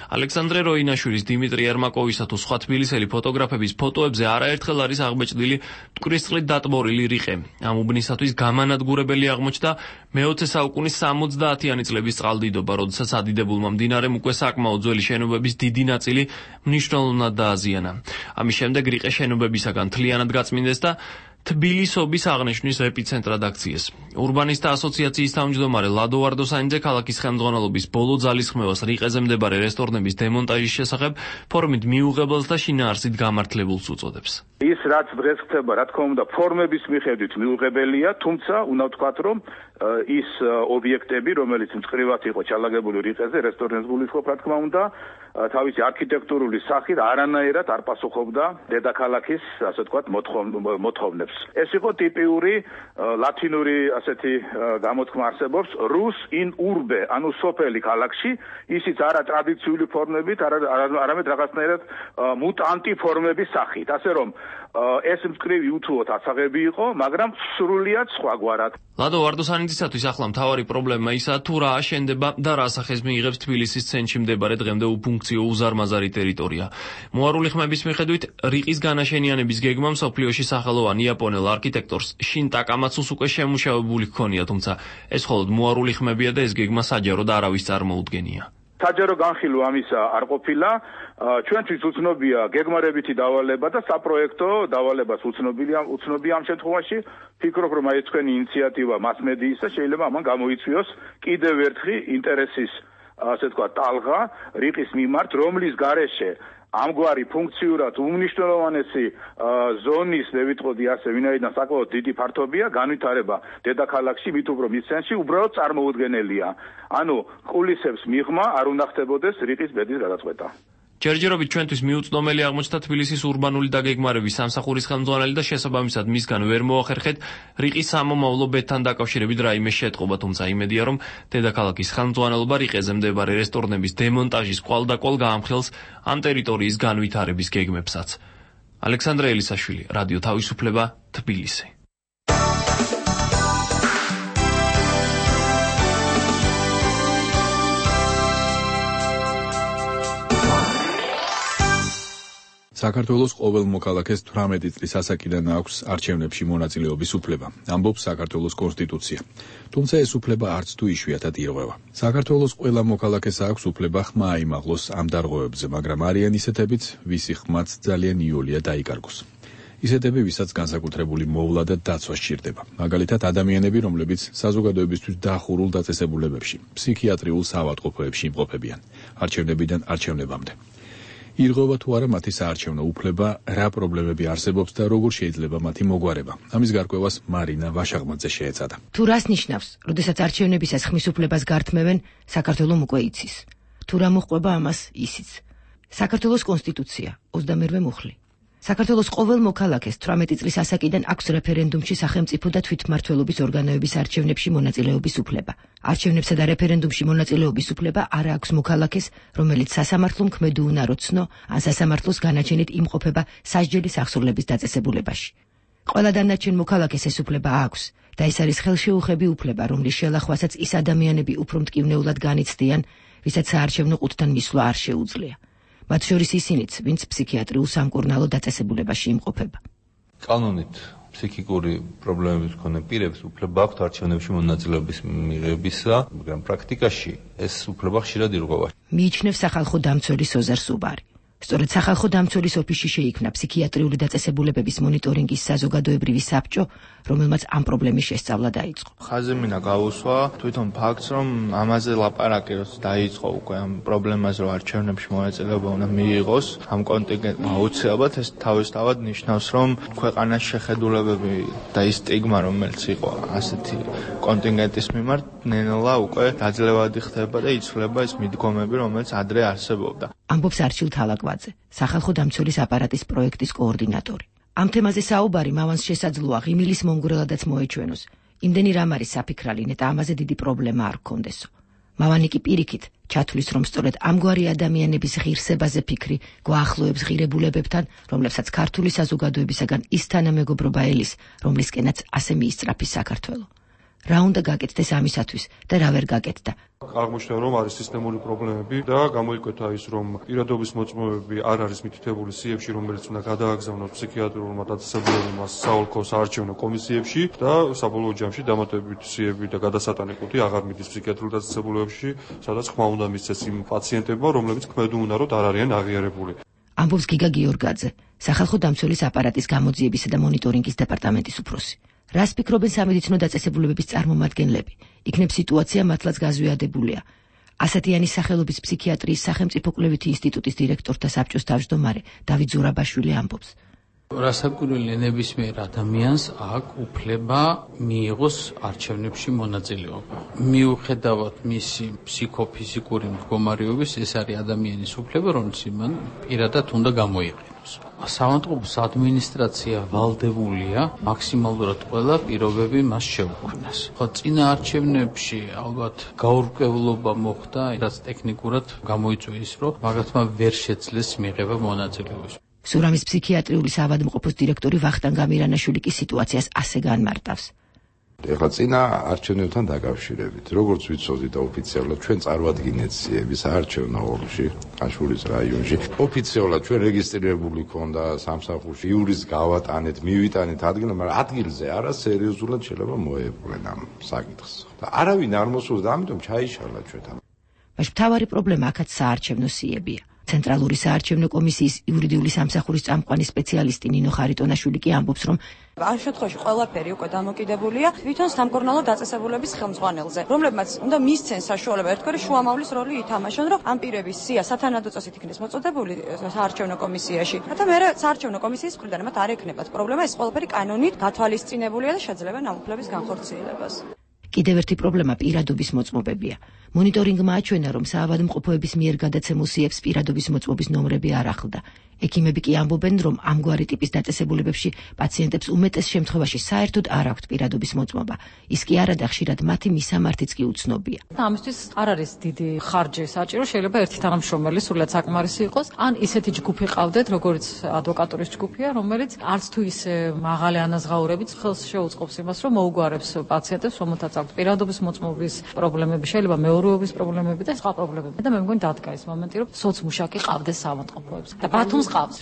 ალექსანდრე როინაშვილის, დიმიტრი ერმაკოვისა თუ სხვა თბილისელი ფოტოგრაფების ფოტოებზე არაერთხელ არის აღმოჩნილი მტკვრისწყლით დატბორილი რიყე. ამ უბნისათვის გამანადგურებელი აღმოჩნდა მეოცე საუკუნის სამოცდაათიანი წლების წყალდიდობა, როდესაც ადიდებულმა მდინარემ უკვე საკმაოდ ძველი შენობების დიდი ნაწილი მნიშვნელოვნად დააზიანა. ამის შემდეგ რიყე შენობებისაგან მთლიანად გაწმინდეს და თბილისობის აღნიშვნის ეპიცენტრად აქციეს. ურბანისტთა ასოციაციის თავმჯდომარე ლადო ვარდოსანიძე ქალაქის ხელმძღვანელობის ბოლო ძალისხმევას რიყეზე მდებარე რესტორნების დემონტაჟის შესახებ ფორმით მიუღებელს და შინაარსით გამართლებულს უწოდებს. ის რაც დღეს ხდება, რა თქმა უნდა, ფორმების მიხედვით მიუღებელია, თუმცა უნდა ვთქვათ, რომ ის ობიექტები, რომელიც მწკრივად იყო ჩალაგებული რიყეზე, რესტორნებს გულისხმობ, რა თქმა უნდა, თავისი არქიტექტურული სახით არანაირად არ პასუხობდა დედაქალაქის, ასე ვთქვათ, მოთხოვნებს. ეს იყო ტიპიური ლათინური ასეთი გამოთქმა არსებობს rus in urbe, ანუ სოფელი ქალაქში, ისიც არა ტრადიციული ფორმებით, არამედ რაღაცნაირად მუტანტი ფორმების სახით. ასე რომ ეს მწკრივი უთუოდ ასაღები იყო, მაგრამ სრულიად სხვაგვარად. ლადო ვარდოსანიძისათვის ახლა მთავარი პრობლემა ისაა, თუ რა აშენდება და რა სახეს მიიღებს თბილისის ცენტრში მდებარე დღემდე უფუნქციო უზარმაზარი ტერიტორია. მოარული ხმების მიხედვით, რიყის განაშენიანების გეგმა მსოფლიოში სახელოვან იაპონელ არქიტექტორს შინ ტაკამაცუს უკვე შემუშავებული ჰქონია, თუმცა ეს მხოლოდ მოარული ხმებია და ეს გეგმა საჯაროდ არავის წარმოუდგენია. საჯარო განხილვა ამისა არ ყოფილა. ჩვენთვის უცნობია გეგმარებითი დავალება და საპროექტო დავალებას უცნობია უცნობია ამ შემთხვევაში. ფიქრობ, რომ აი თქვენი ინიციატივა მასმედიისა შეიძლება ამან გამოიწვიოს კიდევ ერთხი ინტერესის, ასე თქვა, ტალღა რიყის მიმართ, რომლის გარეშე ამგვარი ფუნქციურად უმნიშვნელოვანესი ზონის, მე ვიტყოდი ასე, ვინაიდან საკმაოდ დიდი ფართობია, განვითარება დედაქალაქში, მით უფრო მის ცენტრში უბრალოდ წარმოუდგენელია. ანუ ყულისებს მიღმა არ უნდა ხდებოდეს რიყის ბედის გადაწყვეტა. ჯერჯერობით ჩვენთვის მიუწვდომელი აღმოჩნდა თბილისის ურბანული დაგეგმარების სამსახურის ხელმძღვანელი და შესაბამისად მისგან ვერ მოახერხეთ რიყის სამომავლო ბედთან დაკავშირებით რაიმე შეტყობა, თუმცა იმედია, რომ დედაქალაქის ხელმძღვანელობა რიყეზე მდებარე რესტორნების დემონტაჟის კვალდაკვალ გაამხელს ამ ტერიტორიის განვითარების გეგმებსაც. ალექსანდრე ელისაშვილი, რადიო თავისუფლება, თბილისი. საქართველოს ყოველ მოქალაქეს თვრამეტი წლის ასაკიდან აქვს არჩევნებში მონაწილეობის უფლება, ამბობს საქართველოს კონსტიტუცია. თუმცა ეს უფლება არც თუ იშვიათად ირღვევა. საქართველოს ყველა მოქალაქეს აქვს უფლება ხმა აიმაღლოს ამ დარღვევებზე, მაგრამ არიან ისეთებიც, ვისი ხმაც ძალიან იოლია დაიკარგოს. ისეთები, ვისაც განსაკუთრებული მოვლა და დაცვა სჭირდება. მაგალითად, ადამიანები, რომლებიც საზოგადოებისთვის დახურულ დაწესებულებებში, ფსიქიატრიულ საავადმყოფოებში იმყოფებიან, არჩევნებიდან არჩევნებამდე. ირღვევა თუ არა მათი საარჩევნო უფლება, რა პრობლემები არსებობს და როგორ შეიძლება მათი მოგვარება. ამის გარკვევას მარინა ვაშაღმაძე შეეცადა. თუ რას ნიშნავს, როდესაც არჩევნებისას ხმის უფლებას გართმევენ, საქართველოს უკვე იცის. თუ რა მოჰყვება ამას ისიც. საქართველოს კონსტიტუცია, ოცდამერვე მუხლი. საქართველოს ყოველ მოქალაქეს თვრამეტი წლის ასაკიდან აქვს რეფერენდუმში სახელმწიფო და თვითმმართველობის ორგანოების არჩევნებში მონაწილეობის უფლება. არჩევნებსა და რეფერენდუმში მონაწილეობის უფლება არ აქვს მოქალაქეს, რომელიც სასამართლომ ქმედი უნარო ცნო, ან სასამართლოს განაჩენით იმყოფება სასჯელის აღსრულების დაწესებულებაში. ყველა დანარჩენ მოქალაქეს ეს უფლება აქვს და ეს არის ხელშეუხები უფლება, რომლის შელახვასაც ის ადამიანები უფრო მტკივნეულად განიცდიან, ვისაც საარჩევნო ყუთთან მისვლა არ შეუძლია. მათ შორის ისინიც, ვინც ფსიქიატრიულ სამკურნალო დაწესებულებაში იმყოფება. კანონით ფსიქიკური პრობლემების მქონე პირებს უფლება აქვთ არჩევნებში მონაწილეობის მიღებისა, მაგრამ პრაქტიკაში ეს უფლება ხშირად ირღვევა. მიიჩნევს სახალხო დამცველი სოზარ სუბარი. სწორედ სახალხო დამცველის ოფისში შეიქმნა ფსიქიატრიული დაწესებულებების მონიტორინგის საზოგადოებრივი საბჭო, რომელმაც ამ პრობლემის შესწავლა დაიწყო. ხაზი მინდა გავუსვა თვითონ ფაქტს, რომ ამაზე ლაპარაკი როცა დაიწყო უკვე ამ პრობლემაზე, რომ არჩევნებში მონაწილეობა უნდა მიიღოს, ამ კონტინგენტმა აუცილებლად ეს თავისთავად ნიშნავს, რომ ქვეყანაში შეხედულებები და ის სტიგმა, რომელიც იყო ასეთი კონტინგენტის მიმართ, ნელა უკვე დაძლევადი ხდება და იცვლება ეს მიდგომები, რომელიც ადრე არსებობდა. ამბობს არჩილ თალაკვაძე, სახალხო დამცველის აპარატის პროექტის კოორდინატორი. ამ თემაზე საუბარი მავანს შესაძლოა ღიმილის მომგვრელადაც მოეჩვენოს. იმდენი რამ არის საფიქრალი, ნეტა ამაზე დიდი პრობლემა არ გქონდესო. მავანი კი პირიქით ჩათვლის, რომ სწორედ ამგვარი ადამიანების ღირსებაზე ფიქრი გვაახლოებს ღირებულებებთან, რომლებსაც ქართული საზოგადოებისაგან ის თანამეგობრობა ელის, რომლისკენაც ასე მიისწრაფის საქართველო. რა უნდა გაკეთდეს ამისათვის და რა ვერ გაკეთდა. აღმოჩნდა, რომ არის სისტემური პრობლემები და გამოიკვეთა ის, რომ პირადობის მოწმობები არ არის მითითებული სიებში, რომელიც უნდა გადააგზავნოს ფსიქიატრიულმა დაწესებულებებმა საოლქო საარჩევნო კომისიებში და საბოლოო ჯამში დამატებით სიები და გადასატანეკუთი აღარ მიდის ფსიქიატრიულ დაწესებულებებში, სადაც ხმა უნდა მისცეს იმ პაციენტებმა, რომლებიც ქმედუნაროდ არ არიან აღიარებული. ამბობს გიგა გიორგაძე, სახალხო დამცველის აპარატის გამოძიებისა და მონიტორინგის დეპარტამენტის უფროსი. რას ფიქრობენ სამედიცინო დაწესებულებების წარმომადგენლები? იქნებ სიტუაცია მართლაც გაზვიადებულია. ასათიანის სახელობის ფსიქიატრიის სახელმწიფო კვლევითი ინსტიტუტის დირექტორთა საბჭოს თავმჯდომარე დავით ზურაბაშვილი ამბობს. რასაკვირველია, ნებისმიერ ადამიანს აქვს უფლება მიიღოს არჩევნებში მონაწილეობა. მიუხედავად მისი ფსიქოფიზიკური მდგომარეობის, ეს არის ადამიანის უფლება, რომელიც მან პირადად უნდა გამოიყენოს. სამავთყოფოს ადმინისტრაცია ვალდებულია მაქსიმალურად ყველა პირობები მას შეუქმნას. ხო, წინა არჩევნებში ალბათ გაურკვევლობა მოხდა, რაც ტექნიკურად გამოიწვია ის, რომ მაგათმა ვერ შეძლეს მიღება მონაწილეობის. სურამის ფსიქიატრიული საავადმყოფოს დირექტორი ვახტანგ გამირანაშვილი კი სიტუაციას ასე განმარტავს. ეხლა წინა არჩევნებთან დაკავშირებით, როგორც ვიცოდი და ოფიციალურად ჩვენ წარვადგინეთ სიები საარჩევნო ოლქში, ხაშურის რაიონში. ოფიციალურად ჩვენ რეგისტრირებული ქონდა სამსახურში, იურის გავატანეთ, მივიტანეთ ადგილზე, მაგრამ ადგილზე არა სერიოზულად შეიძლება მოეპყრენ ამ საკითხს. და არავინ არ მოსულს და ამიტომ ჩაიშალა ჩვენთან. მაშ მთავარი პრობლემა აქაც საარჩევნო სიებია. ცენტრალური საარჩევნო კომისიის იურიდიული სამსახურის წამყვანი სპეციალისტი ნინო ხარიტონაშვილი კი ამბობს, რომ ამ შემთხვევაში ყველაფერი უკვე დამოკიდებულია თვითონ სამკურნალო დაწესებულების ხელმძღვანელზე, რომლებმაც უნდა მისცენ საშუალება ერთგვარი შუამავლის როლი ითამაშონ, რომ ამ პირების სია სათანადო წესით იქნეს მოწოდებული საარჩევნო კომისიაში. და მე საარჩევნო კომისიის მხრიდან მათ არ ექნებათ პრობლემა, ეს ყველაფერი კანონით გათვალისწინებულია და შეძლებენ ამ უფლების განხორციელებას. კიდევ ერთი პრობლემა პირადობის მოწმობებია. მონიტორინგმა აჩვენა, რომ საავადმყოფოების მიერ გადაცემულ სიებს პირადობის მოწმობის ნომრები არ ახლდა. ექიმები კი ამბობენ, რომ ამგვარი ტიპის დაწესებულებებში პაციენტებს უმეტეს შემთხვევაში საერთოდ არ აქვთ პირადობის მოწმობა. ის კი არადა ხშირად მათი მისამართიც კი უცნობია. ამისთვის არ არის დიდი ხარჯი საჭირო, შეიძლება ერთი თანამშრომელი სულად საკმარისი იყოს, ან ისეთი ჯგუფი ყავდეთ, როგორც ადვოკატურის ჯგუფია, რომელიც არც თუ ისე მაღალი ანაზღაურებით ხელს შეუწყობს იმას, რომ მოუგვარებს პაციენტებს, რომელთაც აქვთ პირადობის მოწმობის პრობლემები, შეიძლება მეურვეობის პრობლემები და სხვა პრობლემები. და მე მგონი დადგა ის მომენტი, რომ სოცმუშაკი ყავდეს საავადმყოფოებს და ბათუმს ყავს.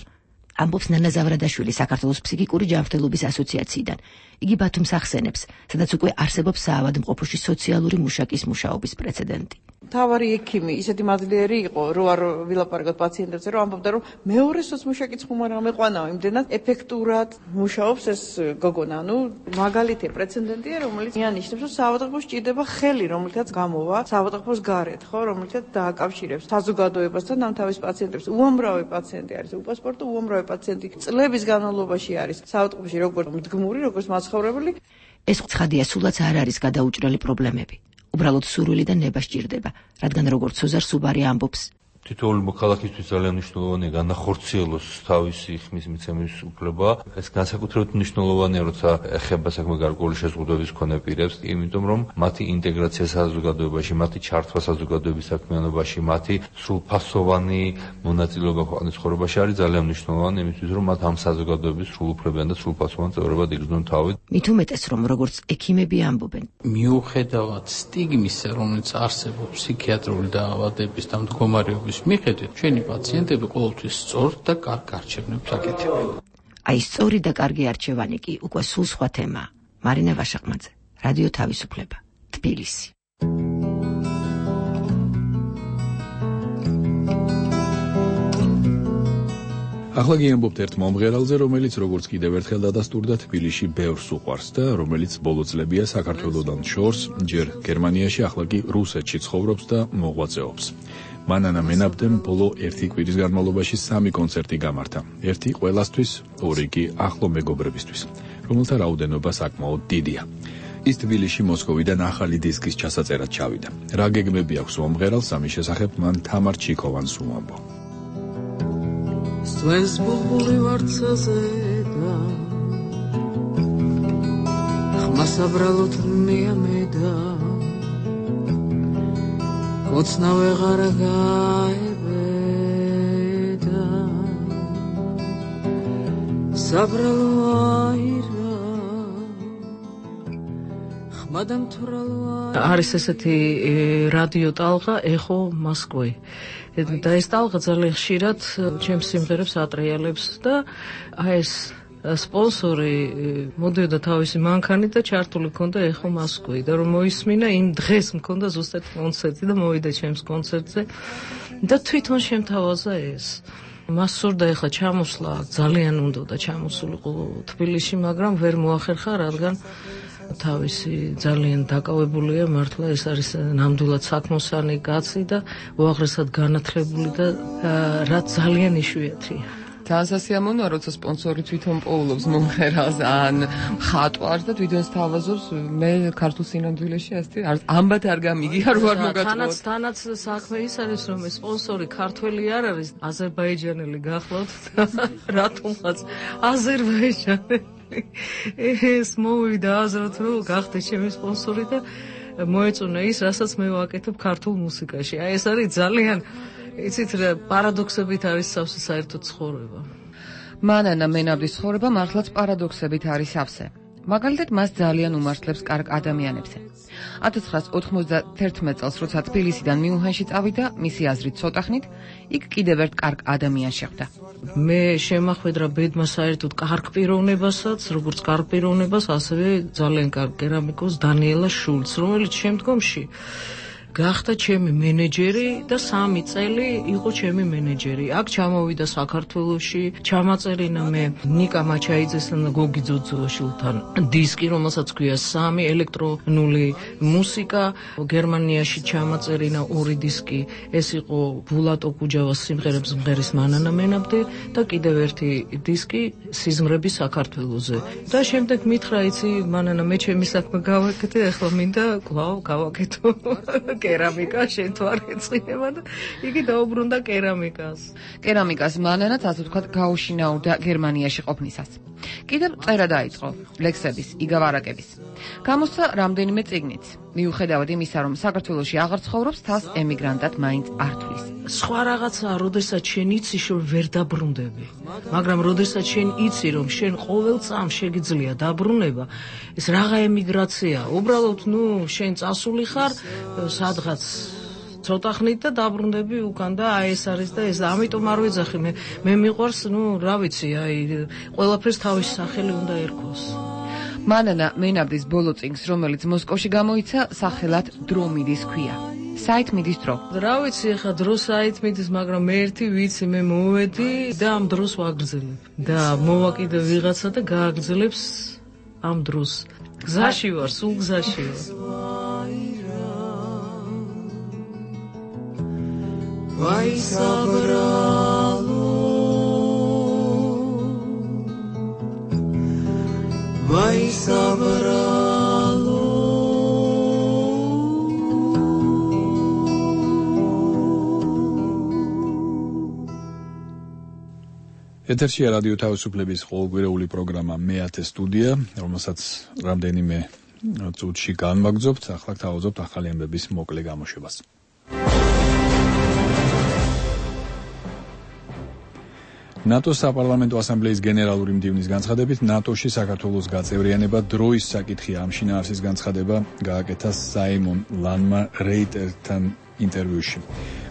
ამბობს ნანა ზავრადაშვილი საქართველოს ფსიქიკური ჯანმრთელობის ასოციაციიდან. იგი ბათუმს ახსენებს, სადაც უკვე არსებობს საავადმყოფოში სოციალური მუშაკის მუშაობის პრეცედენტი. თავარი ექიმი ისეთი მადლიერი იყო, რომ არ ვილაპარაკოთ პაციენტებზე, რომ ამბობდა, რომ მეორე სოცმუშაკიც ხომ არ ამეყვანაო, იმდენად ეფექტურად მუშაობს ეს გოგონა. ანუ მაგალითი პრეცედენტია, რომელიც მიანიშნებს, რომ საავადმყოფოში ჭირდება ხელი, რომელთაც გამოვა საავადმყოფოს გარეთ, ხო, რომელთაც დააკავშირებს საზოგადოებასთან ამ თავის პაციენტებს. უამრავი პაციენტი არის, უპასპორტო უამრავი პაციენტი წლების განმავლობაში არის საავადმყოფოში როგორც მდგმური, როგორც მაცხოვრებელი. ეს ცხადია, სულაც არ არის გადაუჭრელი პრობლემები. უბრალოდ სურვილი და ნება სჭირდება, რადგან როგორც სოზარ სუბარი ამბობს, თითოეული მოქალაქისთვის ძალიან მნიშვნელოვანია განახორციელოს თავისი ხმის მიცემის უფლება. ეს განსაკუთრებით მნიშვნელოვანია, როცა ეხება საქმე გარკვეული შეზღუდვების მქონე პირებს, იმიტომ რომ მათი ინტეგრაცია საზოგადოებაში, მათი ჩართვა საზოგადოების საქმიანობაში, მათი სრულფასოვანი მონაწილეობა ქვეყნის ცხოვრებაში არის ძალიან მნიშვნელოვანი, იმისთვის რომ მათ ამ საზოგადოების სრულუფლებიან და სრულფასოვან წევრებად იგრძნონ თავი. მით უმეტეს, რომ როგორც ექიმები ამბობენ, მიუხედავად სტიგმისა, რომელიც არსებობს ფსიქიატრიული დაავადების და მდგომარეობის მიხედვით, ჩვენი პაციენტები ყოველთვის სწორ და კარგ არჩევნებს აკეთებენ. აი სწორი და კარგი არჩევანი კი უკვე სულ სხვა თემაა. მარინა ვაშაყმაძე, რადიო თავისუფლება, თბილისი. ახლა გიამბობთ ერთ მომღერალზე, რომელიც როგორც კიდევ ერთხელ დადასტურდა თბილისში ბევრს უყვარს და რომელიც ბოლო წლებია საქართველოსთან შორს, ჯერ გერმანიაში, ახლა კი რუსეთში ცხოვრობს და მოღვაწეობს. მანანა მენაბდემ ბოლო ერთი კვირის განმავლობაში სამი კონცერტი გამართა. ერთი ყველასთვის, ორი კი ახლო მეგობრებისთვის, რომელთა რაოდენობა საკმაოდ დიდია. ის თბილისში მოსკოვიდან ახალი დისკის ჩასაწერად ჩავიდა. რა გეგმები აქვს მომღერალს, ამის შესახებ მან თამარ ჩიკოვანს უამბო. Svens bulbuli vartsაზე და ხმა საბრალოდ მეამედა კოცნა ვეღარ გაებედა საბრალო აირა ხმა დამთვრალო არის ესეთი რადიო ტალღა ეხო მოსკვი და ეს ტალღა ძალიან ხშირად ჩემს სიმღერებს ატრიალებს და აი ეს სპონსორი მოდიოდა თავისი მანქანით და ჩართული ქონდა ეხო მოსკვი და რომ მოისმინა იმ დღეს მქონდა ზუსტად კონცერტი და მოვიდა ჩემს კონცერტზე და თვითონ შემთავაზა ეს მას სურდა ეხლა ჩამოსვლა ძალიან უნდა და ჩამოსულიყო თბილისში მაგრამ ვერ მოახერხა რადგან თავისი ძალიან დაკავებულია მართლა ეს არის ნამდვილად საქმოსანი კაცი და უაღრესად განათლებული და რაც ძალიან იშვიათია. ძალიან სასიამოვნოა, როცა სპონსორი თვითონ პოულობს მომღერალს ან მხატვარს და თვითონ სთავაზობს. მე ქართულ სინამდვილეში ასეთი ამბათ არ გამიგია რო არ მოგაწყვეტ. თანაც თანაც საქმე ის არის რომ ეს სპონსორი ქართველი არ არის, აზერბაიჯანელი გახლავთ და რატომღაც აზერბაიჯანელი ეს მოვიდა აზრად რომ გახდა ჩემი სპონსორი და მოეწონა ის, რასაც მე ვაკეთებ ქართულ მუსიკაში. აი ეს არის ძალიან იცით რა პარადოქსებით არის სავსე საერთო ცხოვრება. მანანა მენაბდის ცხოვრება მართლაც პარადოქსებით არის სავსე. მაგალითად მას ძალიან უმართლებს კარგ ადამიანებზე. ათას ცხრაასი ოთხმოცდაათი წელს როცა თბილისიდან მიუნხენში წავიდა, მისი აზრით ცოტახნით, იქ კიდევ ერთ კარგ ადამიანს შეხვდა. მე შემახვედრა ბედმა საერთოდ კარგ პიროვნებასაც, როგორც კარგ პიროვნებას, ასევე ძალიან კარგ კერამიკოს დანიელა შულც, რომელიც შემდგომში გახდა ჩემი მენეჯერი და სამი წელი იყო ჩემი მენეჯერი. აქ ჩამოვიდა საქართველოში, ჩამაწერინა მე ნიკა მაჩაიძესთან და გოგი ძოძოშილთან დისკი, რომელსაც ქვია სამი ელექტრონული მუსიკა. გერმანიაში ჩამაწერინა ორი დისკი, ეს იყო ბულატო კუჯავას სიმღერებს მღერის მანანა მენაბდე და კიდევ ერთი დისკი სიზმრები საქართველოზე. და შემდეგ მითხრა, იცი მანანა, მე ჩემი საქმე გავაკეთე, ახლა მინდა კვლავ გავაკეთო კერამიკა, შენ თუ არ ეწყინება და იგი დაუბრუნდა კერამიკას. კერამიკას მანანაც ასე ვთქვათ გაუშინაურდა გერმანიაში ყოფნისას. კიდევ წერა დაიწყო, ლექსების, იგავარაკების. გამოსცა რამდენიმე წიგნიც. მიუხედავად იმისა, რომ საქართველოში აღარ ცხოვრობს, თავს ემიგრანტად მაინც არ თვლის. სხვა რაღაცაა, როდესაც შენ იცი, რომ ვერ დაბრუნდები. მაგრამ როდესაც შენ იცი, რომ შენ ყოველ წამს შეგიძლია დაბრუნება, ეს რაღა ემიგრაცია. უბრალოდ, ნუ, შენ წასული ხარ სადღაც ცოტა ხნით და დაბრუნდები უკან და აი ეს არის და ეს ამიტომ არ ვეძახი მე მე მიყვარს ნუ რა ვიცი აი ყველაფერს თავის სახელი უნდა ერქოს. მანანა მენაბდის ბოლო წიგნს, რომელიც მოსკოვში გამოიცა, სახელად დრო მიდის ქვია. საით მიდის დრო. რა ვიცი ახლა დრო საით მიდის, მაგრამ მე ერთი ვიცი, მე მოვედი და ამ დროს ვაგრძელებ. და მოვა კიდე ვიღაცა და გააგრძელებს ამ დროს. გზაში ვარ, სულ გზაში ვარ. Vai sabralo Vai sabralo ეთერშია რადიო თავისუფლების ყოველკვირეული პროგრამა მეათე სტუდია, რომელსაც რამდენიმე წუთში განვაგრძობთ, ახლა თავაზობთ ახალი ამბების მოკლე გამოშვებას. ნატოს საპარლამენტო ასამბლეის გენერალური მდივნის განცხადებით, ნატოში საქართველოს გაწევრიანება დროის საკითხია. ამ შინაარსის განცხადება გააკეთა საიმონ ლანმა რეიტერთან ინტერვიუში.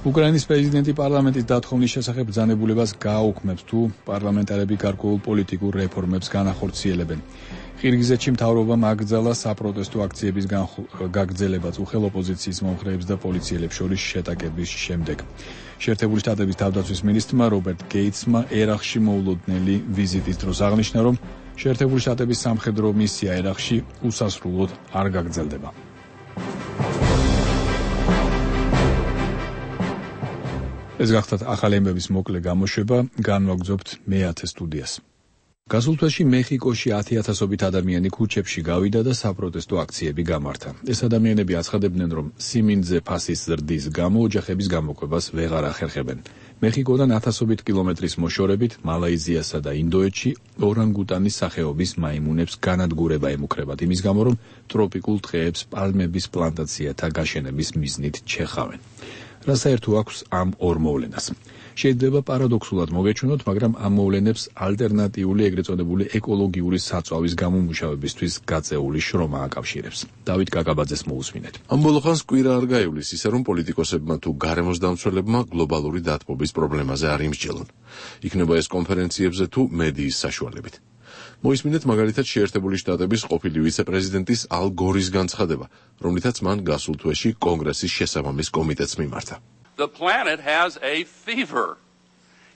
უკრაინის პრეზიდენტი პარლამენტის დათხოვნის შესახებ ბრძანებულებას გააუქმებს, თუ პარლამენტარები გარკვეულ პოლიტიკურ რეფორმებს განახორციელებენ. ყირგიზეთში მთავრობამ აკრძალა საპროტესტო აქციების გაგრძელებაც უხელ ოპოზიციის მომხრეებს და პოლიციელებს შორის შეტაკების შემდეგ. შეერთებული შტატების თავდაცვის მინისტრმა რობერტ გეიტსმა ერაყში მოულოდნელი ვიზიტის დროს აღნიშნა, რომ შეერთებული შტატების სამხედრო მისია ერაყში უსასრულოდ არ გაგრძელდება. ეს გახდათ ახალი ამბების მოკლე გამოშვება, განვაგრძობთ მეათე სტუდიას. გასულ თვეში მეხიკოში ათი ათასობით ადამიანი ქუჩებში გავიდა და საპროტესტო აქციები გამართა. ეს ადამიანები აცხადებდნენ, რომ სიმინძე ფასის ზრდის გამო ოჯახების გამოკვებას ვეღარ ახერხებენ. მეხიკოდან ათასობით კილომეტრის მოშორებით მალაიზიასა და ინდოეთში ორანგუტანის სახეობის მაიმუნებს განადგურება ემუქრებათ იმის გამო, რომ ტროპიკულ ტყეებს პალმების პლანტაციათა გაშენების მიზნით ჩეხავენ. რა საერთო აქვს ამ ორ მოვლენას? შეიძლება პარადოქსულად მოგეჩვენოთ, მაგრამ ამ მოვლენებს ალტერნატიული ეგრეთ წოდებული ეკოლოგიური საწვავის გამომუშავებისთვის გაწეული შრომა აკავშირებს. დავით კაკაბაძეს მოусმინეთ. ამ ბოლო ხანს კვირა არ გაივლის ისე, რომ პოლიტიკოსებმა თუ გარემოს დამცველებმა გლობალური დათბობის პრობლემაზე არ იმსჯელონ. იქნება ეს კონფერენციებზე თუ მედიის საშუალებით. მოისმინეთ მაგალითად შეერთებული შტატების ყოფილი ვიცე-პრეზიდენტის ალ გორის განცხადება, რომლითაც მან გასულ თვეში კონგრესის შესაბამის კომიტეტს მიმართა. The planet has a fever.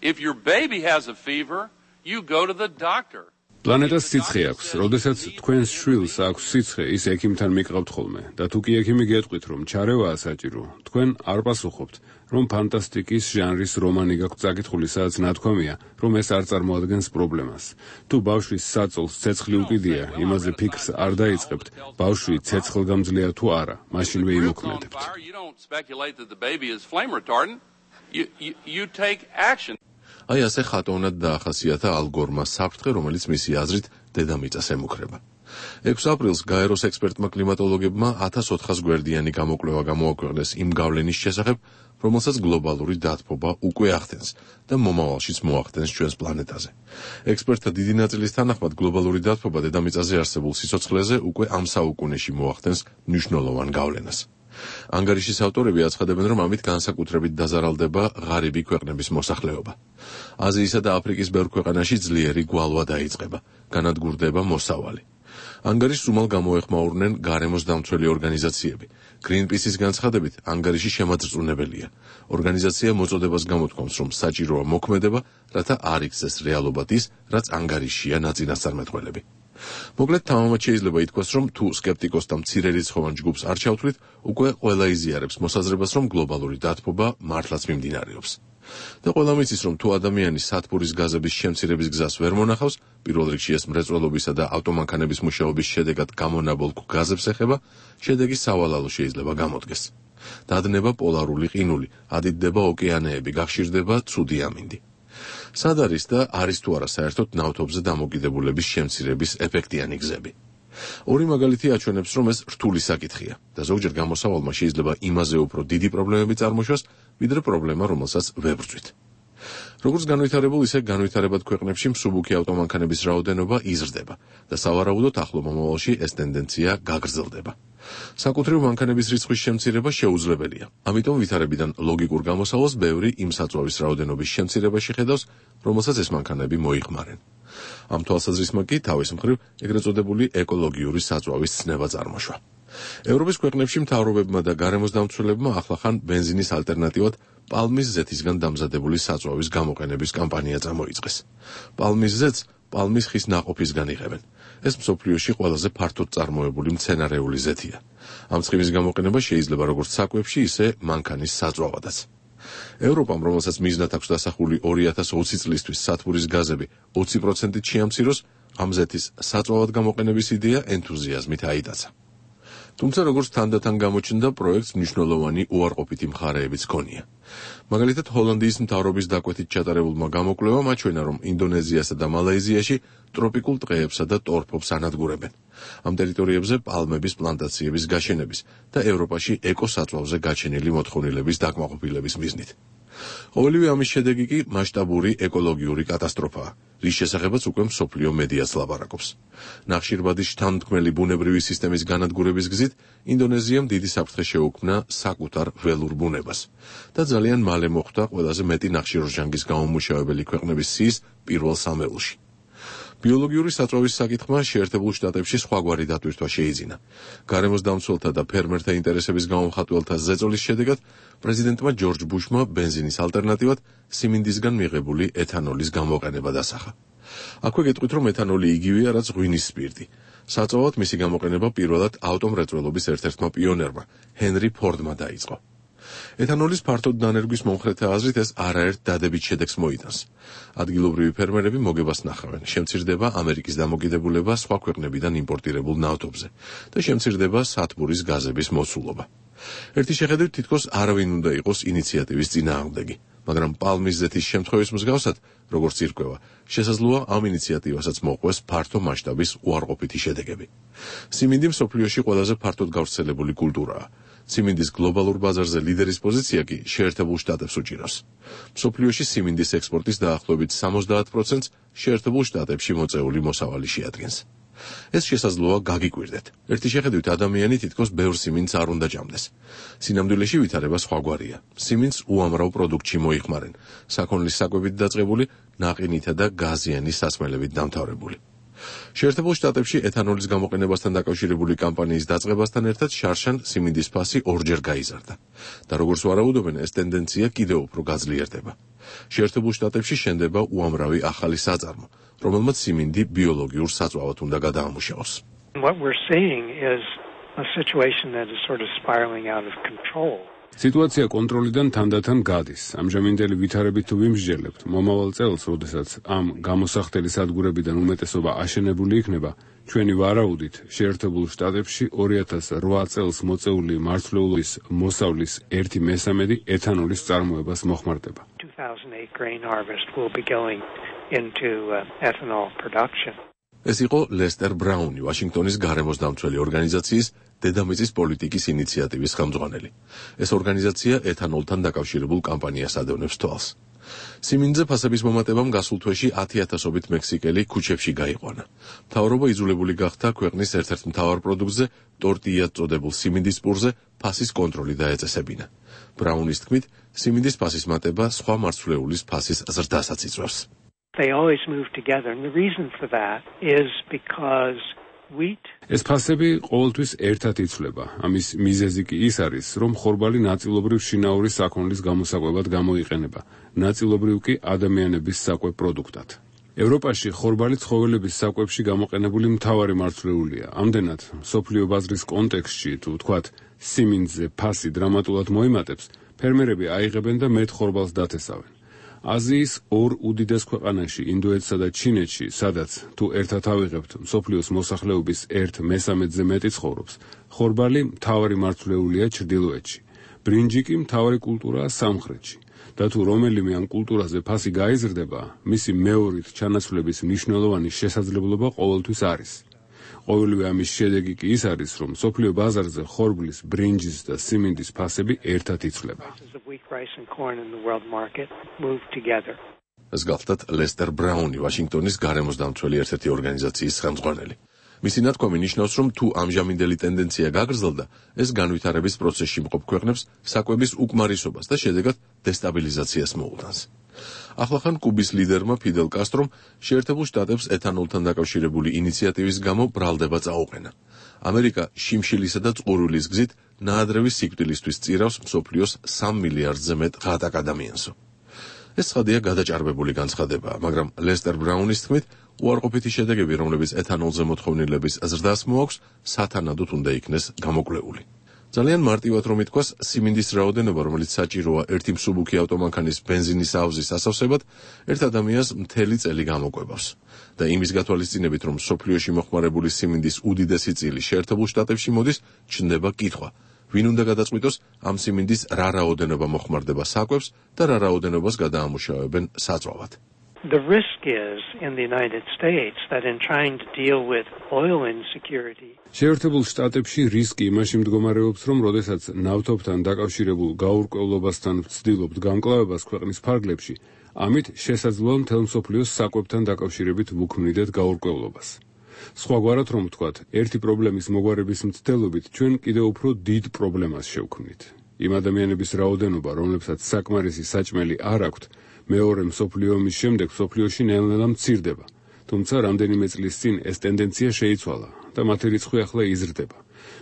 If your baby has a fever, you go to the doctor. პლანეტას სიცხე აქვს. როდესაც თქვენს შვილს აქვს სიცხე, ის ექიმთან მიყავთ ხოლმე და თუ კი ექიმი გეტყვით, რომ ჩარევაა საჭირო, თქვენ არ პასუხობთ, რომ ფანტასტიკის ჟანრის რომანი გაქვთ წაკითხული, სადაც ნათქვამია, რომ ეს არ წარმოადგენს პრობლემას. თუ ბავშვის საწოლს ცეცხლი უკიდია, იმაზე ფიქრს არ დაიწყებთ, ბავშვი ცეცხლგამძლეა თუ არა, მაშინვე იმოქმედებთ. აი ასე ხატოვნად დაახასიათა ალ გორმა საფრთხე, რომელიც მისი აზრით დედამიწას ემუქრება. ექვსი აპრილს გაეროს ექსპერტმა კლიმატოლოგებმა ათას ოთხას გვერდიანი გამოკვლევა გამოაქვეყნეს იმ გავლენის შესახებ, რომელსაც გლობალური დათბობა უკვე ახდენს და მომავალშიც მოახდენს ჩვენს პლანეტაზე. ექსპერტთა დიდი ნაწილის თანახმად გლობალური დათბობა დედამიწაზე არსებულ სიცოცხლეზე უკვე ამ საუკუნეში მოახდენს მნიშვნელოვან გავლენას. ანგარიშის ავტორები აცხადებენ, რომ ამით განსაკუთრებით დაზარალდება ღარიბი ქვეყნების მოსახლეობა. აზიისა და აფრიკის ბევრ ქვეყანაში ძლიერი გვალვა დაიწყება, განადგურდება მოსავალი. ანგარიშს უმალ გამოეხმაურნენ გარემოს დამცველი ორგანიზაციები. Greenpeace-ის განცხადებით, ანგარიში შემაძრწუნებელია. ორგანიზაცია მოწოდებას გამოთქვამს, რომ საჭიროა მოქმედება, რათა არ იქცეს რეალობად ის, რაც ანგარიშია ნაწინასწარმეტყველები. მოკლედ თამამად შეიძლება ითქვას, რომ თუ სკეპტიკოსთა მცირერიცხოვან ჯგუფს არ ჩავთვლით, უკვე ყველა იზიარებს მოსაზრებას, რომ გლობალური დათბობა მართლაც მიმდინარეობს. და ყველა მიცის, რომ თუ ადამიანი სათბურის გაზების შემცირების გზას ვერ მონახავს, პირველ რიგში ეს მრეწველობისა და ავტომანქანების მუშაობის შედეგად გამონაბოლ გაზებს ეხება, შედეგი სავალალო შეიძლება გამოდგეს. დადნება პოლარული ყინული, ადიდდება ოკეანეები, გახშირდება ცუდი ამინდი. სად არის და არის თუ არა საერთოდ ნავთობზე დამოკიდებულების შემცირების ეფექტიანი გზები. ორი მაგალითი აჩვენებს, რომ ეს რთული საკითხია და ზოგჯერ გამოსავალმა შეიძლება იმაზე უფრო დიდი პრობლემები წარმოშვას, ვიდრე პრობლემა, რომელსაც ვებრძვით. როგორც განვითარებულ, ისე განვითარებად ქვეყნებში მსუბუქი ავტომანქანების რაოდენობა იზრდება და სავარაუდოდ ახლო მომავალში ეს ტენდენცია გაგრძელდება. საკუთრივ მანქანების რიცხვის შემცირება შეუძლებელია. ამიტომ ვითარებიდან ლოგიკურ გამოსავალს ბევრი იმ საწვავის რაოდენობის შემცირებაში ხედავს, რომელსაც ეს მანქანები მოიხმარენ. ამ თვალსაზრისმა კი თავის მხრივ ეგრეთ წოდებული ეკოლოგიური საწვავის ცნება წარმოშვა. ევროპის ქვეყნებში მთავრობებმა და გარემოს დამცველებმა ახლახან ბენზინის ალტერნატივად პალმის ზეთისგან დამზადებული საწვავის გამოყენების კამპანია წამოიწყეს. პალმის ზეთს პალმის ხის ნაყოფისგან იღებენ. ეს მსოფლიოში ყველაზე ფართოდ წარმოებული მცენარეული ზეთია. ამ ცხიმის გამოყენება შეიძლება როგორც საკვებში, ისე მანქანის საწვავადაც. ევროპამ, რომელსაც მიზნად აქვს დასახული ორი ათას ოცი წლისთვის სათბურის გაზები ოცი პროცენტით შეამციროს, ამ ზეთის საწვავად გამოყენების იდეა ენთუზიაზმით აიტაცა. თუმცა როგორც თანდათან გამოჩნდა, პროექტს მნიშვნელოვანი უარყოფითი მხარეებიც ჰქონია. მაგალითად, ჰოლანდიის მთავრობის დაკვეთით ჩატარებულმა გამოკვლევამ აჩვენა, რომ ინდონეზიასა და მალაიზიაში ტროპიკულ ტყეებსა და ტორფობს ანადგურებენ. ამ ტერიტორიებზე პალმების პლანტაციების გაშენების და ევროპაში ეკოსაწვავზე გაჩენილი მოთხოვნილების დაკმაყოფილების მიზნით. ყოველივე ამის შედეგი კი მასშტაბური ეკოლოგიური კატასტროფაა, რის შესახებაც უკვე მსოფლიო მედიას ლაპარაკობს. ნახშირბადის შთანთქმელი ბუნებრივი სისტემის განადგურების გზით ინდონეზიამ დიდი საფრთხე შეუქმნა საკუთარ ველურ ბუნებას და ძალიან მალე მოხვდა ყველაზე მეტი ნახშირორჟანგის გამომუშავებელი ქვეყნების სიის პირველ სამეულში. ბიოლოგიური საწვავის საკითხმა შეერთებულ შტატებში სხვაგვარი დატვირთვა შეიძინა. გარემოს დამცველთა და ფერმერთა ინტერესების გამომხატველთა ზეწოლის შედეგად პრეზიდენტმა ჯორჯ ბუშმა ბენზინის ალტერნატივად სიმინდისგან მიღებული ეთანოლის გამოყენება დასახა. აქვე გეტყვით, რომ ეთანოლი იგივეა, რაც ღვინის სპირტი. საწვავად მისი გამოყენება პირველად ავტომრეწველობის ერთ-ერთმა პიონერმა, ჰენრი ფორდმა დაიწყო. ეთანოლის ფართოდ დანერგვის მომხრეთა აზრით ეს არაერთ დადებით შედეგს მოიტანს. ადგილობრივი ფერმერები მოგებას ნახავენ, შემცირდება ამერიკის დამოკიდებულება სხვა ქვეყნებიდან იმპორტირებულ ნავთობზე და შემცირდება სათბურის გაზების მოცულობა. ერთი შეხედვით თითქოს არავინ უნდა იყოს ინიციატივის წინააღმდეგი, მაგრამ პალმის ზეთის შემთხვევის მსგავსად, როგორც ირკვევა, შესაძლოა ამ ინიციატივასაც მოყვეს ფართო მასშტაბის უარყოფითი შედეგები. სიმინდი მსოფლიოში ყველაზე ფართოდ გავრცელებული კულტურაა. სიმინდის გლობალურ ბაზარზე ლიდერის პოზიცია კი შეერთებულ შტატებს უჭირავს. მსოფლიოში სიმინდის ექსპორტის დაახლოებით სამოცდაათ პროცენტს შეერთებულ შტატებში მოწეული მოსავალი შეადგენს. ეს შესაძლოა გაგიკვირდეთ. ერთი შეხედვით ადამიანი თითქოს ბევრ სიმინდს არ უნდა ჭამდეს. სინამდვილეში ვითარება სხვაგვარია. სიმინდს უამრავ პროდუქტში მოიხმარენ, საქონლის საკვებით დაწყებული, ნაყინითა და გაზიანი სასმელებით დამთავრებული. შეერთებულ შტატებში ეთანოლის გამოყენებასთან დაკავშირებული კამპანიის დაწყებასთან ერთად შარშან სიმინდის ფასი ორჯერ გაიზარდა და როგორც ვარაუდობენ, ეს ტენდენცია კიდევ უფრო გაძლიერდება. შეერთებულ შტატებში შენდება უამრავი ახალი საწარმო, რომელმაც სიმინდი ბიოლოგიურ საწვავად უნდა გადაამუშავოს. What we're seeing is a situation that is sort of spiraling out of control. სიტუაცია კონტროლიდან თანდათან გადის. ამჟამინდელი ვითარებით თუ ვიმსჯელებთ, მომავალ წელს, როდესაც ამ გამოსახდელი სადგურებიდან უმეტესობა აშენებული იქნება, ჩვენი ვარაუდით შეერთებულ შტატებში ორი ათას ოთხ წელს მოწეული მარცვლეულობის მოსავლის ერთი მესამედი ეთანოლის წარმოებას მოხმარდება. two thousand eight grain harvest will be going into uh, ethanol production. ეს იყო ლესტერ ბრაუნი, ვაშინგტონის გარემოს დამცველი ორგანიზაციის დედამიწის პოლიტიკის ინიციატივის ხელმძღვანელი. ეს ორგანიზაცია ეთანოლთან დაკავშირებულ კამპანიას ადევნებს თვალს. სიმინდზე ფასების მომატებამ გასულ თვეში ათი ათასობით მექსიკელი ქუჩებში გაიყვანა. მთავრობა იძულებული გახდა ქვეყნის ერთ-ერთ მთავარ პროდუქტზე, ტორტიად წოდებულ სიმინდის პურზე, ფასის კონტროლი დაეწესებინა. ბრაუნის თქმით, სიმინდის ფასის მატება სხვა მარცვლეულის ფასის ზრდასაც იწვევს. They always move together, and the reason for that is because wheat ეს ფასები ყოველთვის ერთად იცვლება. ამის მიზეზი კი ის არის, რომ ხორბალი ნაწილობრივ შინაური საქონლის გამოსაკვებად გამოიყენება, ნაწილობრივ კი ადამიანების საკვებ პროდუქტად. ევროპაში ხორბალი ცხოველების საკვებში გამოყენებული მთავარი მარცვლეულია. ამდენად, მსოფლიო ბაზრის კონტექსტში, თუ ვთქვათ, სიმინდზე ფასი დრამატულად მოიმატებს, ფერმერები აიღებენ და მეტ ხორბალს დათესავენ. აზიის ორ უდიდეს ქვეყანაში, ინდოეთსა და ჩინეთში, სადაც თუ ერთად ავიღებთ მსოფლიოს მოსახლეობის ერთ მესამედზე მეტი ცხოვრობს, ხორბალი მთავარი მარცვლეულია ჩრდილოეთში, ბრინჯი კი მთავარი კულტურაა სამხრეთში. და თუ რომელიმე ამ კულტურაზე ფასი გაიზრდება, მისი მეორით ჩანაცვლების მნიშვნელოვანი შესაძლებლობა ყოველთვის არის. ყოველივე ამის შედეგი კი ის არის, რომ მსოფლიო ბაზარზე ხორბლის, ბრინჯის და სიმინდის ფასები ერთად იცვლება. ეს გახლდათ ლესტერ ბრაუნი, ვაშინგტონის გარემოს დამცველი ერთ-ერთი ორგანიზაციის ხელმძღვანელი. მისი ნათქვამი ნიშნავს, რომ თუ ამჟამინდელი ტენდენცია გაგრძელდა, ეს განვითარების პროცესში მყოფ ქვეყნებს საკვების უკმარისობას და შედეგად დესტაბილიზაციას მოუტანს. ახლახან კუბის ლიდერმა ფიდელ კასტრომ შეერთებულ შტატებს ეთანოლთან დაკავშირებული ინიციატივის გამო ბრალდება წაუყენა. ამერიკა შიმშილისა და წყურვილის გზით ნაადრევი სიკვდილისთვის წირავს მსოფლიოს სამ მილიარდზე მეტ ღატაკ ადამიანსო. ეს ცხადია გადაჭარბებული განცხადებაა, მაგრამ ლესტერ ბრაუნის თქმით, უარყოფითი შედეგები, რომლებიც ეთანოლზე მოთხოვნილების ზრდას მოაქვს, სათანადოდ უნდა იქნეს გამოკვლეული. ძალიან მარტივად რომ ითქვას, სიმინდის რაოდენობა, რომელიც საჭიროა ერთი მსუბუქი ავტომანქანის ბენზინის ავზის ასავსებად, ერთ ადამიანს მთელი წელი გამოკვებავს. და იმის გათვალისწინებით, რომ სოფლიოში მოხმარებული სიმინდის უდიდესი წილი შეერთებულ შტატებში მოდის, ჩნდება კითხვა. ვინ უნდა გადაწყვიტოს ამ სიმინდის რა რაოდენობა მოხმარდება საკვებს და რა რაოდენობას გადაამუშავებენ საწვავად. The risk is in the United States that in trying to deal with oil insecurity. შეერთებულ შტატებში რისკი იმაში მდგომარეობს, რომ როდესაც ნავთობთან დაკავშირებულ გაურკვევლობასთან ვცდილობთ გამკლავებას ქვეყნის ფარგლებში, ამით შესაძლოა მთელ მსოფლიოს საკვებთან დაკავშირებით ვუქმნიდეთ გაურკვევლობას. სხვაგვარად რომ ვთქვათ, ერთი პრობლემის მოგვარების მცდელობით ჩვენ კიდევ უფრო დიდ პრობლემას შევქმნით. იმ ადამიანების რაოდენობა, რომლებსაც საკმარისი საჭმელი არ აქვთ, მეორე მსოფლიო ომის შემდეგ მსოფლიოში ნელ-ნელა მცირდება თუმცა რამდენიმე წლის წინ ეს ტენდენცია შეიცვალა და მათი რიცხვი ახლა იზრდება.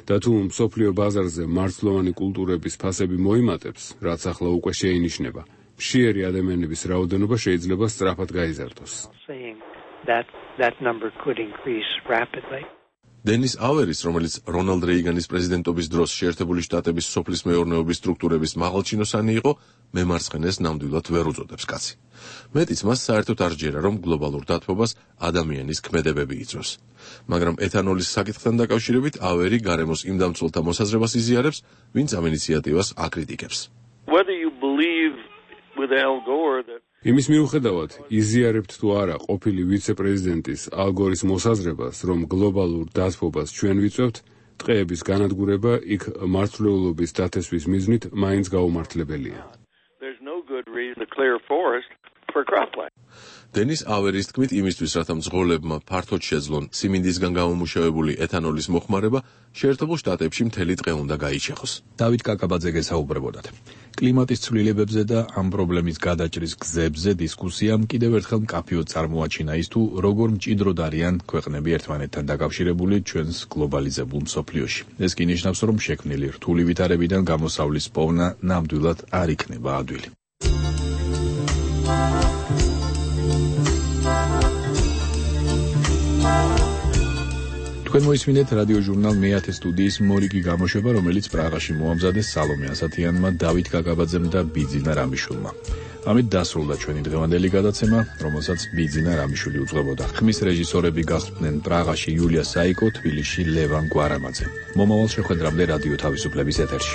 და თუ მსოფლიო ბაზარზე მარცვლოვანი კულტურების ფასები მოიმატებს, რაც ახლა უკვე შეინიშნება, მშიერი ადამიანების რაოდენობა შეიძლება სწრაფად გაიზარდოს. That that number could increase rapidly. დენის ავერის, რომელიც რონალდ რეიგანის პრეზიდენტობის დროს შეერთებული შტატების სოფლის მეურნეობის სტრუქტურების მაღალჩინოსანი იყო, მემარცხენეს ნამდვილად ვერ უწოდებს კაცი. მეტიც მას საერთოდ არ ჯერა, რომ გლობალურ დათბობას ადამიანის ქმედებები იწვევს. მაგრამ ეთანოლის საკითხთან დაკავშირებით ავერი გარემოს იმ დამცველთა მოსაზრებას იზიარებს, ვინც ამ ინიციატივას აკრიტიკებს. Whether you believe with Al Gore that იმის მიუხედავად, იზიარებთ თუ არა ყოფილი ვიცე-პრეზიდენტის ალ გორის მოსაზრებას, რომ გლობალურ დათბობას ჩვენ ვიწევთ, ტყეების განადგურება იქ მარცვლეულობის დათესვის მიზნით მაინც გაუმართლებელია. There's no good reason to clear forest for cropland. დენის ავერის თქმით, იმისთვის, რათა მძღოლებმა ფართოდ შეძლონ სიმინდისგან გამომუშავებული ეთანოლის მოხმარება, შეერთებულ შტატებში მთელი ტყე უნდა გაიჩეხოს. დავით კაკაბაძე გესაუბრებოდათ. კლიმატის ცვლილებებზე და ამ პრობლემის გადაჭრის გზებზე დისკუსიამ კიდევ ერთხელ მკაფიოდ წარმოაჩინა ის თუ როგორ მჭიდროდ არიან ქვეყნები ერთმანეთთან დაკავშირებული ჩვენს გლობალიზებულ მსოფლიოში. ეს კი ნიშნავს, რომ შექმნილი რთული ვითარებიდან გამოსავლის პოვნა ნამდვილად არ იქნება ადვილი. თქვენ მოისმინეთ რადიო ჟურნალ მეათე სტუდიის მორიგი გამოშვება, რომელიც პრაღაში მოამზადეს სალომე ასათიანმა, დავით კაკაბაძემ და ბიძინა რამიშვილმა. ამით დასრულდა ჩვენი დღევანდელი გადაცემა, რომელსაც ბიძინა რამიშვილი უძღვებოდა. ხმის რეჟისორები გახდნენ პრაღაში იულია საიკო, თბილისში ლევან გვარამაძე. მომავალ შეხვედრამდე რადიო თავისუფლების ეთერში.